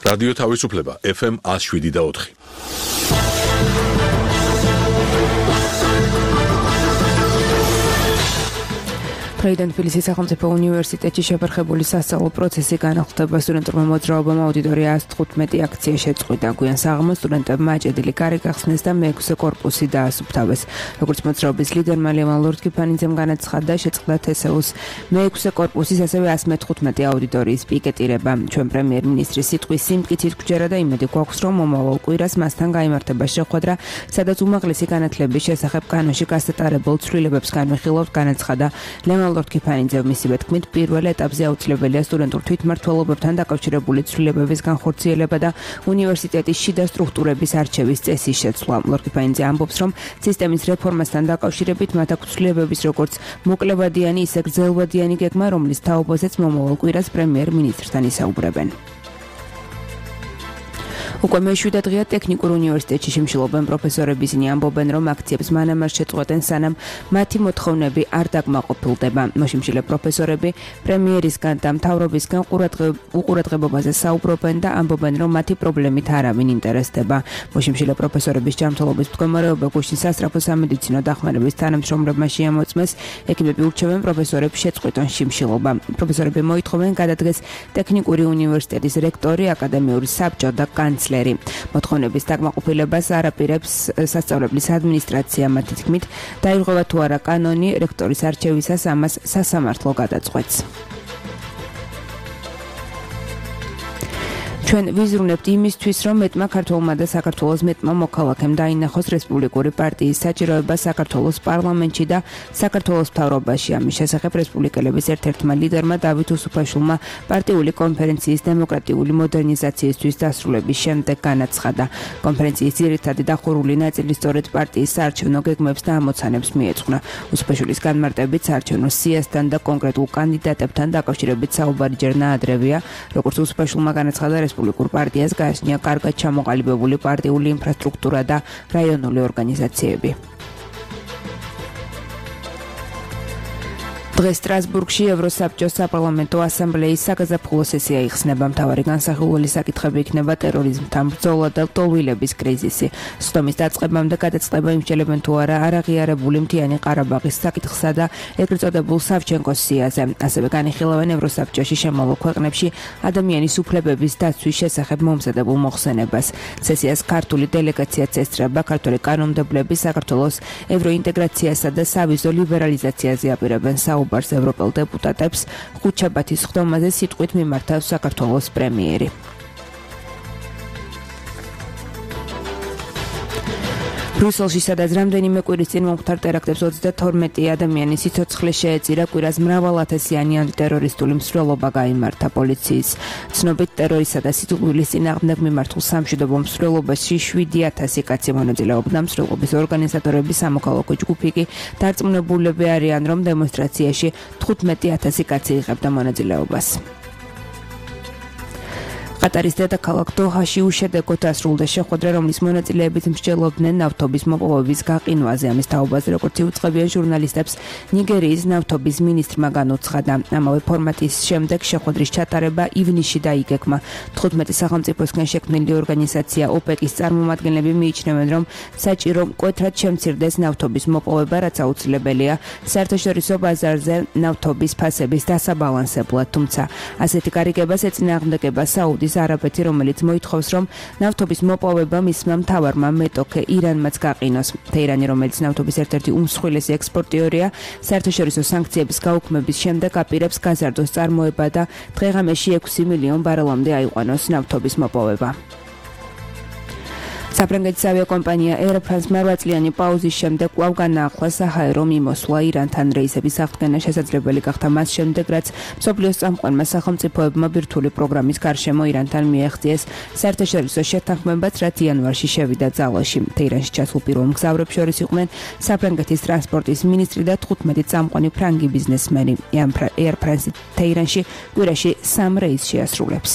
რადიო თავისუფლება FM 107.4. Პრეზიდენტ თბილისის სახელმწიფო უნივერსიტეტში შეფერხებული სასწავლო პროცესი განახლდება სტუდენტურმა მოძრაობამ აუდიტორია 115 აქცია შეწყვიტა. Გვიან საღამოს სტუდენტებმა აჭედილი კარი გახსნეს და მე-6 კორპუსი დაასუფთავეს. Როგორც მოძრაობის ლიდერმა ლევან ლორთქიფანიძემ განაცხადა, შეწყდა თესეუს მე-6 კორპუსის ასევე 115 აუდიტორიის პიკეტირება. Ჩვენ პრემიერ-მინისტრის სიტყვის სიმტკიცით გვჯერა და იმედი გვაქვს, რომ მომავალ კვირას მასთან გაიმართება შეხვედრა, სადაც უმაღლესი განათლების შესახებ კანონში გასატარებულ ცვლილებებს განვიხილავთ, განაცხადა ლევან ლორთქიფანიძემ. მისივე თქმით, პირველ ეტაპზე აუცილებელია სტუდენტურ თვითმმართველობებთან დაკავშირებული ცვლილებების განხორციელება და უნივერსიტეტის შიდა სტრუქტურების არჩევის წესის შეცვლა. ლორთქიფანიძე ამბობს, რომ სისტემის რეფორმასთან დაკავშირებით მათ აქვს ცვლილებების როგორც მოკლევადიანი, ისე გრძელვადიანი გეგმა, რომლის თაობაზეც მომავალ კვირას პრემიერ-მინისტრთან ისაუბრებენ. უკვე მე-7 დღეა ტექნიკურ უნივერსიტეტში შიმშილობენ პროფესორები. ისინი ამბობენ, რომ აქციებს მანამ არ შეწყვეტენ, სანამ მათი მოთხოვნები არ დაკმაყოფილდება. მოშიმშილე პროფესორები პრემიერისგან და მთავრობისგან უყურადღებობაზე საუბრობენ და ამბობენ, რომ მათი პრობლემით არავინ ინტერესდება. მოშიმშილე პროფესორების ჯანმრთელობის მდგომარეობა გუშინ სასწრაფო სამედიცინო დახმარების თანამშრომლებმა შეამოწმეს. ექიმები ურჩევენ პროფესორებს შეწყვეტონ შიმშილობა. პროფესორები მოითხოვენ გადადგეს ტექნიკური უნივერსიტეტის რექტორი, აკადემიური საბჭო და კანცლერი. მოთხოვნების დაკმაყოფილებას არაპირებს სასწავლებლის ადმინისტრაცია. მათი თქმით, დაირღვევა თუ არა კანონი რექტორის არჩევისას, ამას სასამართლო გადაწყვეტს. ჩვენ ვიზრუნებთ იმისთვის, რომ მეტმა ქართველმა და საქართველოს მეტმა მოქალაქემ დაინახოს რესპუბლიკური პარტიის საჭიროება საქართველოს პარლამენტში და საქართველოს მთავრობაში. ამის შესახებ რესპუბლიკელების ერთ-ერთმა ლიდერმა დავით უსუფაშვილმა პარტიული კონფერენციის დემოკრატიული მოდერნიზაციისთვის დასრულების შემდეგ განაცხადა. კონფერენციის ძირითადი დახურული ნაწილი სწორედ პარტიის საარჩევნო გეგმებს და ამოცანებს მიეძღვნა. უსუფაშვილის განმარტებით საარჩევნო სიასთან და კონკრეტულ კანდიდატებთან დაკავშირებით საუბარი ჯერ ნაადრევია. როგორც უსუფაშვილმა განაცხადა, რესპუბლიკურ პარტიას გააჩნია კარგად ჩამოყალიბებული პარტიული ინფრასტრუქტურა და რაიონული ორგანიზაციები. დღეს სტრასბურგში ევროსაბჭოს საპარლამენტო ასამბლეის საგაზაფხულო სესია იხსნება. მთავარი განსახილველი საკითხები იქნება ტერორიზმთან ბრძოლა და ლტოლვილების კრიზისი. სხდომის დაწყებამდე გადაწყდება იმსჯელებენ თუ არა არაღიარებული მთიანი ყარაბაღის საკითხსა და ეგრეთ წოდებულ სავჩენკოს სიაზე. ასევე განიხილავენ ევროსაბჭოში შემავალ ქვეყნებში ადამიანის უფლებების დაცვის შესახებ მომზადებულ მოხსენებას. სესიას ქართული დელეგაციაც ესწრება. ქართული კანონმდებლები საქართველოს ევროინტეგრაციასა და სავიზო ლიბერალიზაციაზე აპირებენ საუბარს ევროპელ დეპუტატებს. ხუთშაბათის სხდომაზე სიტყვით მიმართავს საქართველოს პრემიერი. ბრიუსელში, სადაც რამდენიმე კვირის წინ მომხდარ ტერაქტებს 32 ადამიანის სიცოცხლე შეეწირა, კვირას მრავალათასიანი ანტიტერორისტული მსვლელობა გაიმართა. პოლიციის ცნობით, ტერორისა და სიძულვილის წინააღმდეგ მიმართულ სამშვიდობო მსვლელობაში 7000 კაცი მონაწილეობდა. მსვლელობის ორგანიზატორები სამოქალაქო ჯგუფი კი დარწმუნებულები არიან, რომ დემონსტრაციაში 15000 კაცი იღებდა მონაწილეობას. ყატარის დედაქალაქ დოჰაში უშედეგოდ დასრულდა შეხვედრა, რომლის მონაწილეებით მსჯელობდნენ ნავთობის მოპოვების გაყინვაზე. ამის თაობაზე, როგორც იუწყებიან ჟურნალისტებს, ნიგერიის ნავთობის მინისტრმა განუცხადა. ამავე ფორმატის შემდეგ შეხვედრის ჩატარება ივნისში დაიგეგმა. 15 სახელმწიფოსგან შექმნილი ორგანიზაცია ოპეკის წარმომადგენლები მიიჩნევენ, რომ საჭირო მკვეთრად შემცირდეს ნავთობის მოპოვება, რაც აუცილებელია საერთაშორისო ბაზარზე ნავთობის ფასების დასაბალანსებლად. თუმცა ასეთი გარიგებას ეწინააღმდეგება საუდის არაბეთი, რომელიც მოითხოვს, რომ ნავთობის მოპოვება მისმა მთავარმა მეტოქე ირანმაც გაყინოს. თეირანი, რომელიც ნავთობის ერთ-ერთი უმსხვილესი ექსპორტიორია, საერთაშორისო სანქციების გაუქმების შემდეგ აპირებს გაზარდოს წარმოება და დღე-ღამეში 6 მილიონ ბარელამდე აიყვანოს ნავთობის მოპოვება. საფრანგეთის ავიაკომპანია Air France-მა 8 წლიანი პაუზის შემდეგ კვლავ განაახლა საჰაერო მიმოსვლა ირანთან. რეისების აღდგენა შესაძლებელი გახდა მას შემდეგ, რაც მსოფლიოს წამყვანმა სახელმწიფოებმა ბირთვული პროგრამის გარშემო ირანთან მიაღწიეს საერთაშორისო შეთანხმებაც, რაც იანვარში შევიდა ძალაში. თეირანში ჩასულ პირველ მგზავრებს შორის იყვნენ საფრანგეთის ტრანსპორტის მინისტრი და 15 წამყვანი ფრანგი ბიზნესმენი. Air France თეირანში კვირაში 3 რეისს შეასრულებს.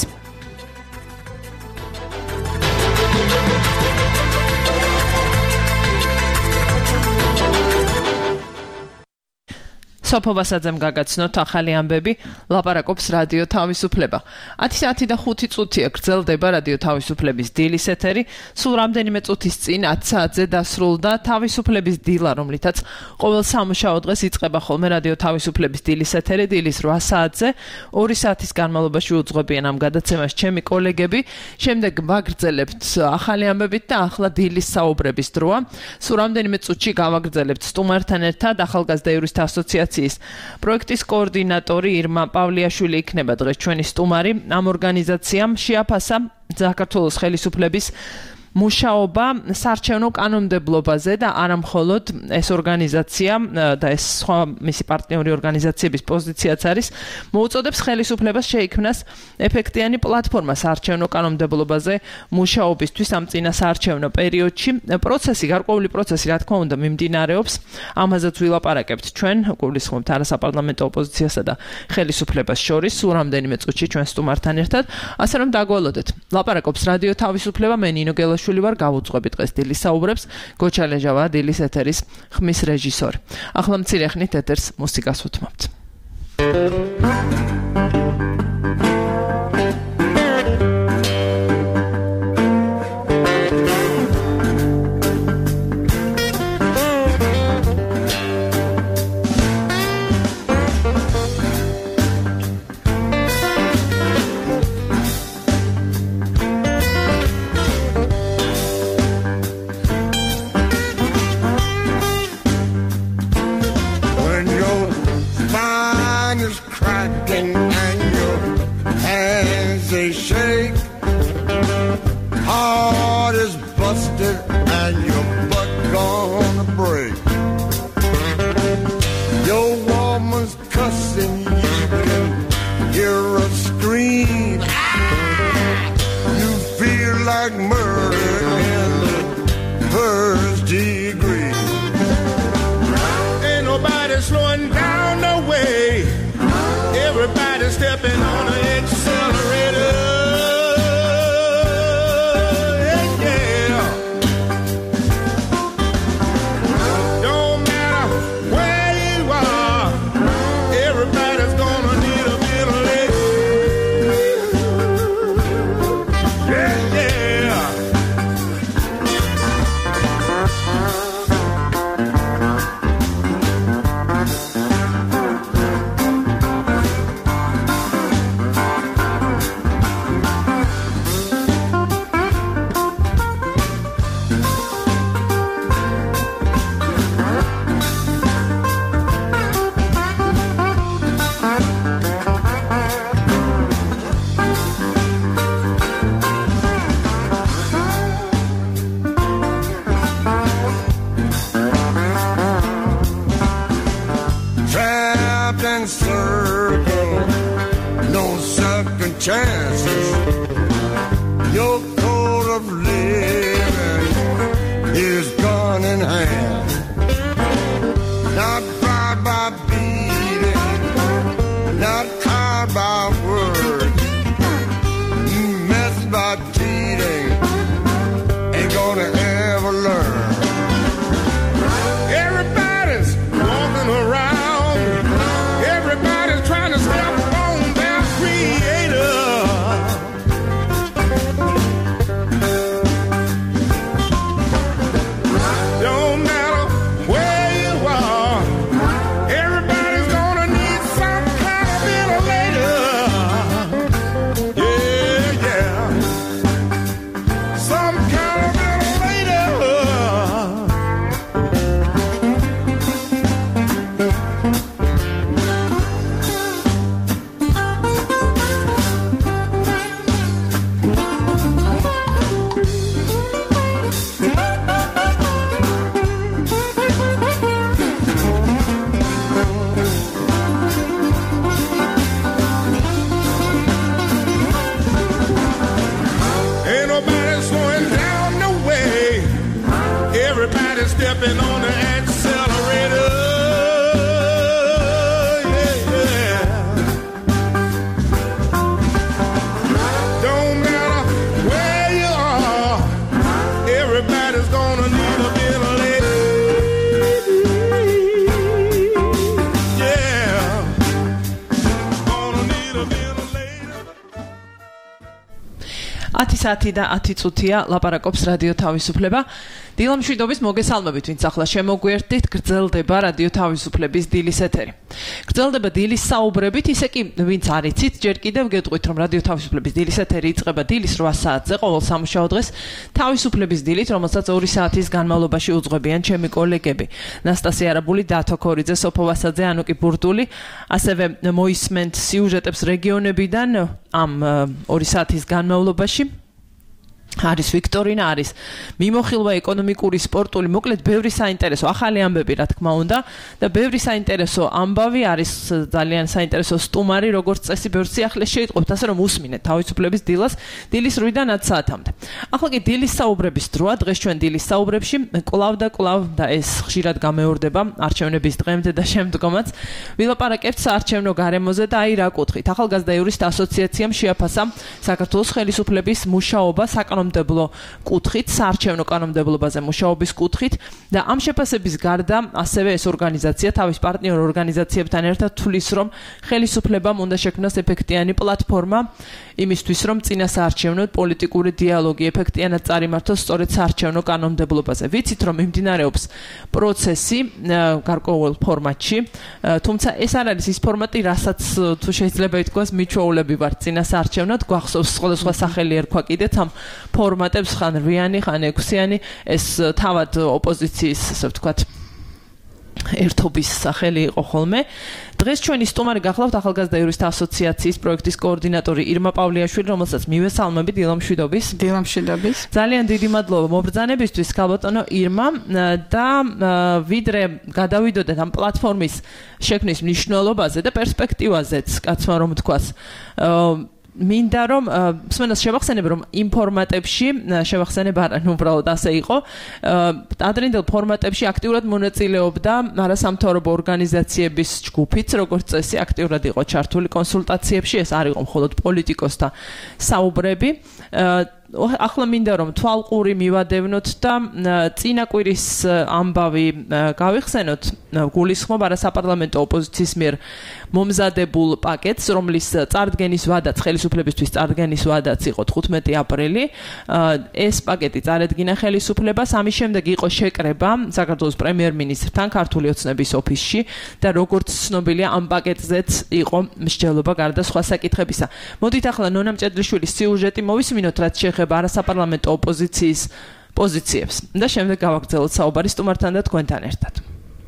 სოფო ბასაძემ გაგაცნოთ ახალი ამბები, ლაპარაკობს რადიო თავისუფლება. 10:05 წუთია გრძელდება რადიო თავისუფლების დილის ეთერი, სულ რამდენიმე წუთის წინ 10 საათზე დასრულდა თავისუფლების დილა, რომლითაც ყოველ სამუშაო დღეს იწყება ხოლმე რადიო თავისუფლების დილის ეთერი, დილის 8 საათზე, 2 საათის განმავლობაში უძღვებიან ამ გადაცემას ჩემი კოლეგები, შემდეგ ვაგრძელებთ ახალი ამბებით და ახლა დილის საუბრების დროა. სულ რამდენიმე წუთში გავაგრძელებთ სტუმართან ერთად ახალგაზრდა იურისტთა ასოციაციის პროექტის კოორდინატორი ირმა პავლიაშვილი იქნება დღეს ჩვენი სტუმარი. ამ ორგანიზაციამ შეაფასა საქართველოს ხელისუფლების მუშაობა საარჩევნო კანონმდებლობაზე და არა მხოლოდ ეს ორგანიზაცია და ეს სხვა მისი პარტნიორი ორგანიზაციების პოზიციაც არის, მოუწოდებს ხელისუფლებას შეიქმნას ეფექტიანი პლატფორმა საარჩევნო კანონმდებლობაზე მუშაობისთვის ამ წინა საარჩევნო პერიოდში. გარკვეული პროცესი, რა თქმა უნდა, მიმდინარეობს. ამაზეც ვილაპარაკებთ ჩვენ, გულისხმობთ არასაპარლამენტო ოპოზიციასა და ხელისუფლებას შორის, სულ რამდენიმე წუთში ჩვენ სტუმართან ერთად, ასე რომ დაგვალოდეთ. ლაპარაკობს რადიო თავისუფლება, მე ნინო გელაშვილი ვარ, გავუძღვები დღეს დილის საუბრებს, გოჩა ლეჟავა დილის ეთერის ხმის რეჟისორი. ახლა მცირე ხნით ეთერს მუსიკას უთმობთ. 10 და 10 წუთია ლაპარაკობს რადიო თავისუფლება. დილამშვიდობის მოგესალმებით, ვინც ახლა შემოგვიერთდით, გრძელდება რადიო თავისუფლების დილის ეთერი. გრძელდება დილის საუბრებით, ისე კი ვინც არ იცით, ჯერ კიდევ გეტყვით, რომ რადიო თავისუფლების დილის ეთერი იწყება დილის 8 საათზე ყოველ სამუშაო დღეს თავისუფლების დილით, რომელსაც 2 საათის განმავლობაში უძღვებიან ჩემი კოლეგები. ნასტასია არაბული, დათო ქორიძე, სოფო ვასაძე, ანუკი ბურდული, ასევე მოისმენთ სიუჟეტებს რეგიონებიდან ამ 2 საათის განმავლობაში. არის ვიქტორინა, არის მიმოხილვა ეკონომიკური, სპორტული, მოკლედ ბევრი საინტერესო ახალი ამბები, რა თქმა უნდა, და ბევრი საინტერესო ამბავი არის, ძალიან საინტერესო სტუმარი, როგორც წესი, ბევრ სიახლეს შეიტყობთ, ასე რომ უსმინეთ თავისუფლების დილას, დილის 8-დან 10 საათამდე. ახლა კი დილის საუბრების დროა, დღეს ჩვენ დილის საუბრებში კვლავ და ეს ხშირად გამეორდება არჩევნების დღემდე და შემდგომაც. ვილაპარაკებთ საარჩევნო გარემოზე და აი რა კუთხით. ახალგაზრდა იურისტთა ასოციაციამ შეაფასა საქართველოს ხელისუფლების მუშაობა კანონმდებლო კუთხით, საარჩევნო კანონმდებლობაზე მუშაობის კუთხით და ამ შეფასების გარდა ასევე ეს ორგანიზაცია თავის პარტნიორ ორგანიზაციებთან ერთად თვლის, რომ ხელისუფლებამ უნდა შექმნას ეფექტიანი პლატფორმა იმისთვის, რომ წინა საარჩევნო პოლიტიკური დიალოგი ეფექტიანად წარიმართოს სწორედ საარჩევნო კანონმდებლობაზე. ვიცით, რომ მიმდინარეობს პროცესი გარკვეულ ფორმატში, თუმცა ეს არ არის ის ფორმატი, რასაც თუ შეიძლება ითქვას მიჩვეულები ვართ წინა საარჩევნოდ, გვახსოვს სხვადასხვა სახელი ერქვა კიდეც ამ ფორმატებს, ხან რვიანი, ხან 6-იანი, ეს თავად ოპოზიციის, ასე ვთქვათ, ერთობის სახელი იყო ხოლმე. დღეს ჩვენი სტუმარი გახლავთ ახალგაზრდა იურისტთა ასოციაციის პროექტის კოორდინატორი ირმა პავლიაშვილი, რომელსაც მივესალმებით, დილამშვიდობის. დილამშვიდობის. ძალიან დიდი მადლობა მობრძანებისთვის, ქალბატონო ირმა, და ვიდრე გადავიდოდეთ ამ პლატფორმის შექმნის მნიშვნელობაზე და პერსპექტივაზეც, კაცმა რომ თქვას, მინდა რომ მსმენელს შევახსენებ, რომ იმ ფორმატებში შევახსენებ არა, უბრალოდ ასე იყო. ადრინდელ ფორმატებში აქტიურად მონაწილეობდა არასამთავრობო ორგანიზაციების ჯგუფიც, როგორც წესი, აქტიურად იყო ჩართული კონსულტაციებში, ეს არ იყო მხოლოდ პოლიტიკოსთა საუბრები. ახლა მინდა რომ თვალყური მივადევნოთ და წინა კვირის ამბავი გავიხსენოთ, გულისხმობ არასაპარლამენტო ოპოზიციის მიერ მომზადებულ პაკეტს, რომლის წარდგენის ვადაც, ხელისუფლებისთვის წარდგენის ვადაც იყო 15 აპრილი. ეს პაკეტი წარედგინა ხელისუფლებას, ამის შემდეგ იყო შეკრება საქართველოს პრემიერ-მინისტრთან ქართული ოცნების ოფისში და როგორც ცნობილია, ამ პაკეტზეც იყო მსჯელობა გარდა სხვა საკითხებისა. მოდით ახლა ნონა მჭედლიშვილის სიუჟეტი მოვისმინოთ, რაც შეეხება არასაპარლამენტო ოპოზიციის პოზიციებს და შემდეგ გავაგრძელოთ საუბარი სტუმართან და თქვენთან ერთად.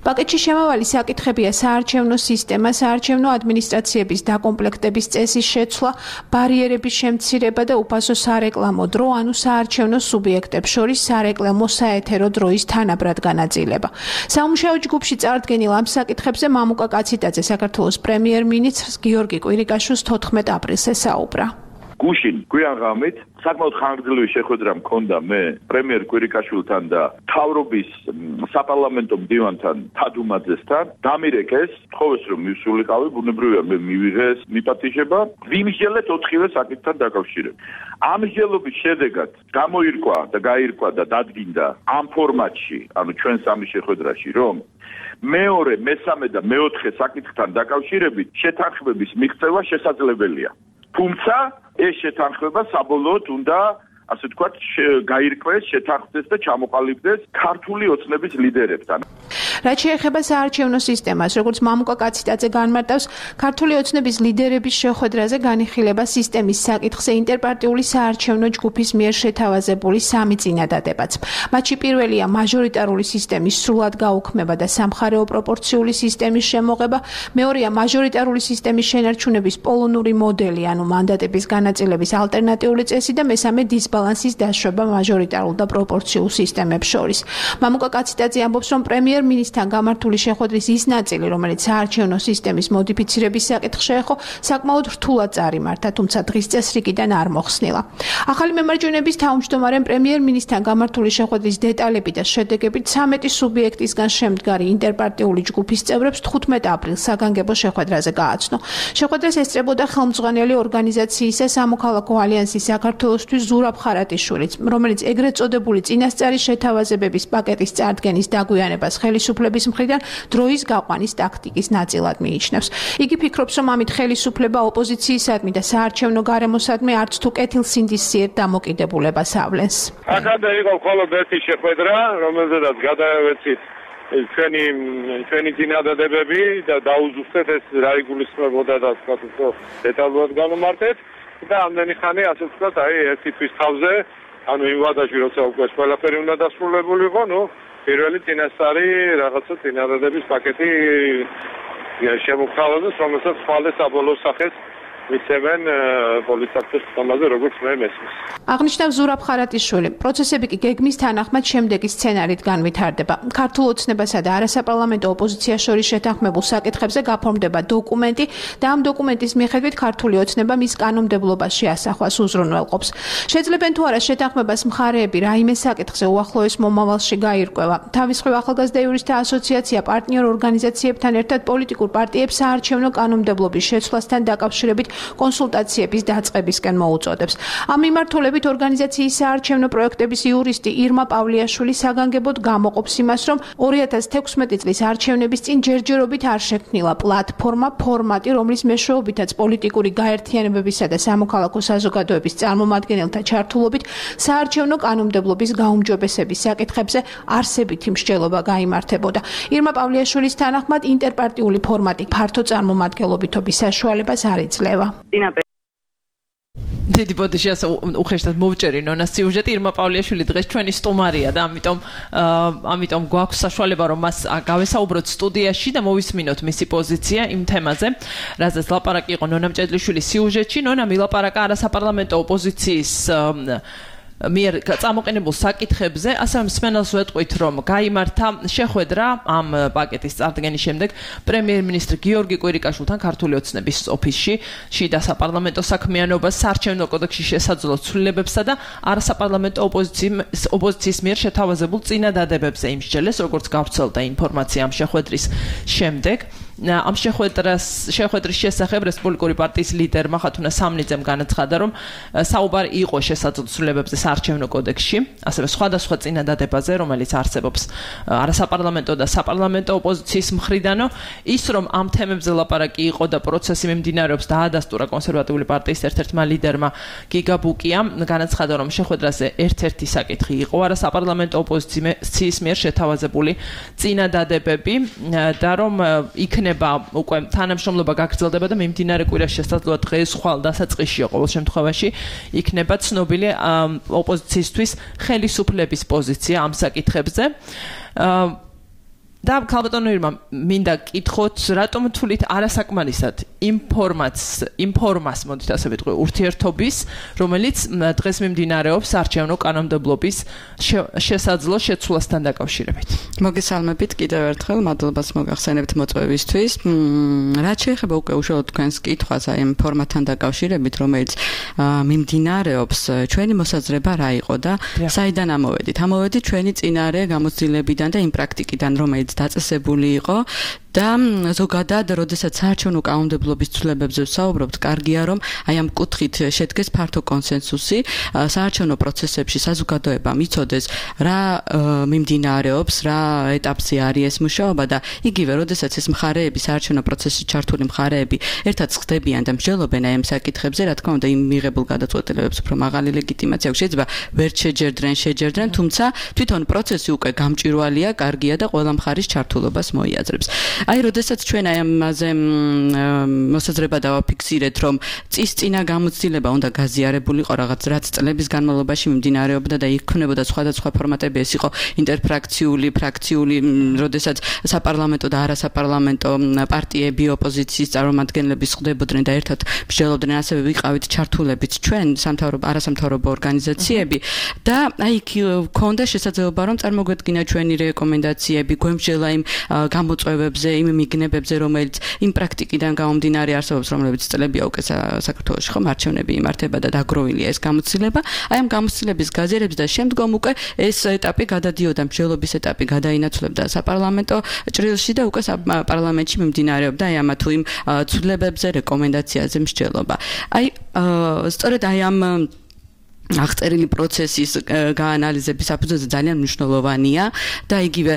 პაკეტში შემავალი საკითხებია საარჩევნო სისტემა, საარჩევნო ადმინისტრაციების დაკომპლექტების წესის შეცვლა, ბარიერების შემცირება და უფასო სარეკლამო დრო, ანუ საარჩევნო სუბიექტებს შორის სარეკლამო საეთერო დროის თანაბრად განაწილება. სამუშაო ჯგუფში წარდგენილ ამ საკითხებზე მამუკა კაციტაძე საქართველოს პრემიერ-მინისტრს გიორგი კვირიკაშვილს 14 აპრილს ესაუბრა. გუშინ გვიან ღამით საკმაოდ ხანგრძლივი შეხვედრა მქონდა მე პრემიერ კვირიკაშვილთან და მთავრობის საპარლამენტო მდივანთან თადუმაძესთან. დამირეკეს, თხოვეს რომ მივსულიყავი, ბუნებრივია მე მივიღეს მიპატიჟება, ვიმსჯელეთ 4-ვე საკითხთან დაკავშირებით. ამ მსჯელობის შედეგად გამოირკვა და გაირკვა და დადგინდა ამ ფორმატში, ანუ ჩვენ სამი შეხვედრაში, რომ მეორე, მესამე და მეოთხე საკითხთან დაკავშირებით შეთანხმების მიღწევა შესაძლებელია. თუმცა ეს შეთანხმება საბოლოოდ უნდა, ასე ვთქვათ, გაირკვეს, შეთანხმდეს და ჩამოყალიბდეს ქართული ოცნების ლიდერებთან. რაც შეეხება საარჩევნო სისტემას, როგორც მამუკა კაციტაძე განმარტავს, ქართული ოცნების ლიდერების შეხვედრაზე განიხილება სისტემის საკითხზე ინტერპარტიული საარჩევნო ჯგუფის მიერ შეთავაზებული 3 წინადადებაც. მათში პირველია მაჟორიტარული სისტემის სრულად გაუქმება და სამხარეო პროპორციული სისტემის შემოღება, მეორეა მაჟორიტარული სისტემის შენარჩუნების პოლონური მოდელი, ანუ მანდატების განაწილების ალტერნატიული წესი და მესამე დისბალანსის დაშვება მაჟორიტარულ და პროპორციულ სისტემებს შორის. მამუკა კაციტაძე ამბობს, რომ პრემიერ-მინისტრ თან გამართული შეხვედრის ის ნაწილი, რომელიც საარჩევნო სისტემის მოდიფიცირების საკითხს შეეხო, საკმაოდ რთულად წარიმართა, თუმცა დღის წესრიგიდან არ მოხსნილა. ახალი მემარჯვენეების თავმჯდომარემ პრემიერ-მინისტრთან გამართული შეხვედრის დეტალები და შედეგები 13 სუბიექტისგან შემდგარი ინტერპარტიული ჯგუფის წევრებს 15 აპრილს საგანგებო შეხვედრაზე გააცნო. შეხვედრას ესწრებოდა ხელმძღვანელი ორგანიზაციისა სამოქალაქო ალიანსის საქართველოსთვის ზურაბ ხარატიშვილიც, რომელიც ეგრეთ წოდებული წინასწარი შეთავაზებების პაკეტის წარდგენის დაგვიანებას ხელისუფლებას ხელისუფლების მხრიდან დროის გაყვანის ტაქტიკის ნაწილად მიიჩნევს. იგი ფიქრობს, რომ ამით ხელისუფლება ოპოზიციისადმი და საარჩევნო გარემოსადმი არც თუ კეთილსინდისიერ დამოკიდებულებას ავლენს. აქამდე იყო მხოლოდ ერთი შეხვედრა, რომელზედაც გადავეცით ჩვენი წინადადებები და დაუზუსტეთ ეს რა იგულისხმებოდა და თქვა უფრო დეტალურად განვმარტეთ და ამდენი ხანი ასე ვთქვათ, ერთი თვის თავზე, ანუ იმ ვადაში როცა უკვე ყველაფერი უნდა დასრულებულიყო, პირველი წინასწარი რაღაცა წინადადების პაკეტი შემოგთავაზეს, რომელსაც ხვალე საბოლოო სახეს მისცემენ პოლიციის ხომაზე, როგორც მე მესმის. აღნიშნავს ზურაბ ხარატიშვილი. პროცესები კი გეგმის თანახმად შემდეგი სცენარით განვითარდება. ქართულ ოცნებასა და არასაპარლამენტო ოპოზიციას შორის შეთანხმებულ საკითხებზე გაფორმდება დოკუმენტი და ამ დოკუმენტის მიხედვით ქართული ოცნება მის კანონმდებლობაში ასახვას უზრუნველყოფს. შეძლებენ თუ არა შეთანხმებას მხარეები რაიმე საკითხზე უახლოეს მომავალში გაირკვევა. თავის მხრივ ახალგაზრდა იურისტთა ასოციაცია პარტნიორ ორგანიზაციებთან ერთად პოლიტიკურ პარტიებს საარჩევნო კანონმდებლობის შეცვლასთან დაკავშირებით კონსულტაციების დაწყებისკენ მოუწოდებს. ამ მიმართულებით ორგანიზაციის საარჩევნო პროექტების იურისტი ირმა პავლიაშვილი საგანგებოდ გამოყოფს იმას, რომ 2016 წლის არჩევნების წინ ჯერჯერობით არ შექმნილა პლატფორმა, ფორმატი, რომლის მეშვეობითაც პოლიტიკური გაერთიანებებისა და სამოქალაქო საზოგადოების წარმომადგენელთა ჩართულობით საარჩევნო კანონმდებლობის გაუმჯობესების საკითხებზე არსებითი მსჯელობა გაიმართებოდა. ირმა პავლიაშვილის თანახმად ინტერპარტიული ფორმატი ფართო წარმომადგენლობითობის საშუალებას არ იძლევა. დიდი ბოდიში ასე უხეშად მოვჭერი ნონას სიუჟეტი ირმა პავლიაშვილი დღეს ჩვენი სტუმარია და ამიტომ გვაქვს საშუალება რომ მას გავესაუბროთ სტუდიაში და მოვისმინოთ მისი პოზიცია იმ თემაზე, რაზეც ლაპარაკი იყო ნონა მჭედლიშვილის სიუჟეტში. ნონა მილაპარაკა არასაპარლამენტო ოპოზიციის მიერ წამოყენებულ საკითხებზე, ასევე მსმენელს ვეტყვით, რომ გაიმართა შეხვედრა ამ პაკეტის წარდგენის შემდეგ პრემიერ-მინისტრ გიორგი კვირიკაშვილთან ქართული ოცნების ოფისში, შიდა საპარლამენტო საქმიანობას, საარჩევნო კოდექსში შესაძლო ცვლილებებსა და არასაპარლამენტო ოპოზიციის მიერ შეთავაზებულ წინადადებებზე იმსჯელეს, როგორც გავრცელდა ინფორმაცია ამ შეხვედრის შემდეგ. ამ შეხვედრის შესახებ რესპუბლიკური პარტიის ლიდერმა ხათუნა სამნიძემ განაცხადა, რომ საუბარი იყო შესაძლო ცვლილებებზე საარჩევნო კოდექსში, ასევე სხვადასხვა წინადადებაზე, რომელიც არსებობს არასაპარლამენტო და საპარლამენტო ოპოზიციის მხრიდანო, ის რომ ამ თემებზე ლაპარაკი იყო და პროცესი მიმდინარეობს დაადასტურა კონსერვატიული პარტიის ერთ-ერთმა ლიდერმა გიგა ბუკიამ, განაცხადა, რომ შეხვედრაზე ერთ-ერთი საკითხი იყო არასაპარლამენტო ოპოზიციის მიერ შეთავაზებული წინადადებები და რომ იქნება უკვე თანამშრომლობა გაგრძელდება და მიმდინარე კვირაში შესაძლოა დღეს ხვალ დასაწყისშია ყოველ შემთხვევაში იქნება ცნობილი ოპოზიციისთვის ხელისუფლების პოზიცია ამ საკითხებზე. და ქალბატონო ირმა, მინდა კითხოთ, რატომ თulit არასაკმარისად ინფორმას მოდით ასე ვიტყვი ურთიერთობის, რომელიც დღეს მიმდინარეობს საარჩევნო კანონმდებლობის შესაძლო შეცვლასთან დაკავშირებით. მოგესალმებით კიდევ ერთხელ, მადლობას მოგახსენებთ მოწვევისთვის. რაც შეეხება უკვე უშუალოდ თქვენს კითხვას აი ამ ფორმატთან დაკავშირებით, რომელიც მიმდინარეობს, ჩვენი მოსაზრება რა იყო და საიდან ამოვედით? ამოვედით ჩვენი წინარე გამოცდილებიდან და იმ პრაქტიკიდან, რომელიც დაწესებული იყო და ზოგადად, როდესაც საარჩევნო კანონმდებლობის ცვლილებებზე ვსაუბრობთ, კარგია რომ აი ამ კუთხით შედგეს ფართო კონსენსუსი, საარჩევნო პროცესებში საზოგადოებამ იცოდეს რა მიმდინარეობს, რა ეტაპზე არის ეს მუშაობა და იგივე, როდესაც ეს მხარეები, საარჩევნო პროცესში ჩართული მხარეები ერთად ხდებიან და მსჯელობენ აი ამ საკითხებზე, რა თქმა უნდა, იმ მიღებულ გადაწყვეტილებებს უფრო მაღალი ლეგიტიმაცია აქვს. შეიძლება ვერ შეჯერდნენ, თუმცა თვითონ პროცესი უკვე გამჭვირვალეა, კარგია და ყველა მხარის ჩართულობას მოიაზრებს. აი, როდესაც ჩვენ აი ამაზე მოსაზრება დავაფიქსირეთ, რომ წის წინა გამოცდილება უნდა გაზიარებულიყო რაღაც რაც წლების განმავლობაში მიმდინარეობდა და იქნებოდა სხვადასხვა ფორმატები, ეს იყო ინტერფრაქციული, ფრაქციული, როდესაც საპარლამენტო და არასაპარლამენტო პარტიები, ოპოზიციის წარმომადგენლები ხდებოდნენ და ერთად მსჯელობდნენ, ასევე ვიყავით ჩართულებით ჩვენ არასამთავრობო ორგანიზაციები და აი იქ ქონდა შესაძლებლობა რომ წარმოგვედგინა ჩვენი რეკომენდაციები, გვემსჯელა იმ გამოწვევებზე, იმ მიგნებებზე, რომელიც იმ პრაქტიკიდან გამომდინარე არსებობს, რომლებიც წლებია უკვე საქართველოში ხომ არჩევნები იმართება და დაგროვილია ეს გამოცდილება. აი ამ გამოცდილების გაზიარებს და შემდგომ უკვე ეს ეტაპი გადადიოდა, მსჯელობის ეტაპი გადაინაცვლებდა საპარლამენტო ჭრილში და უკვე პარლამენტში მიმდინარეობდა აი ამა თუ იმ ცვლილებებზე, რეკომენდაციაზე მსჯელობა. აი სწორედ აი ამ აღწერილი პროცესის გაანალიზების საფუძველზე ძალიან მნიშვნელოვანია და იგივე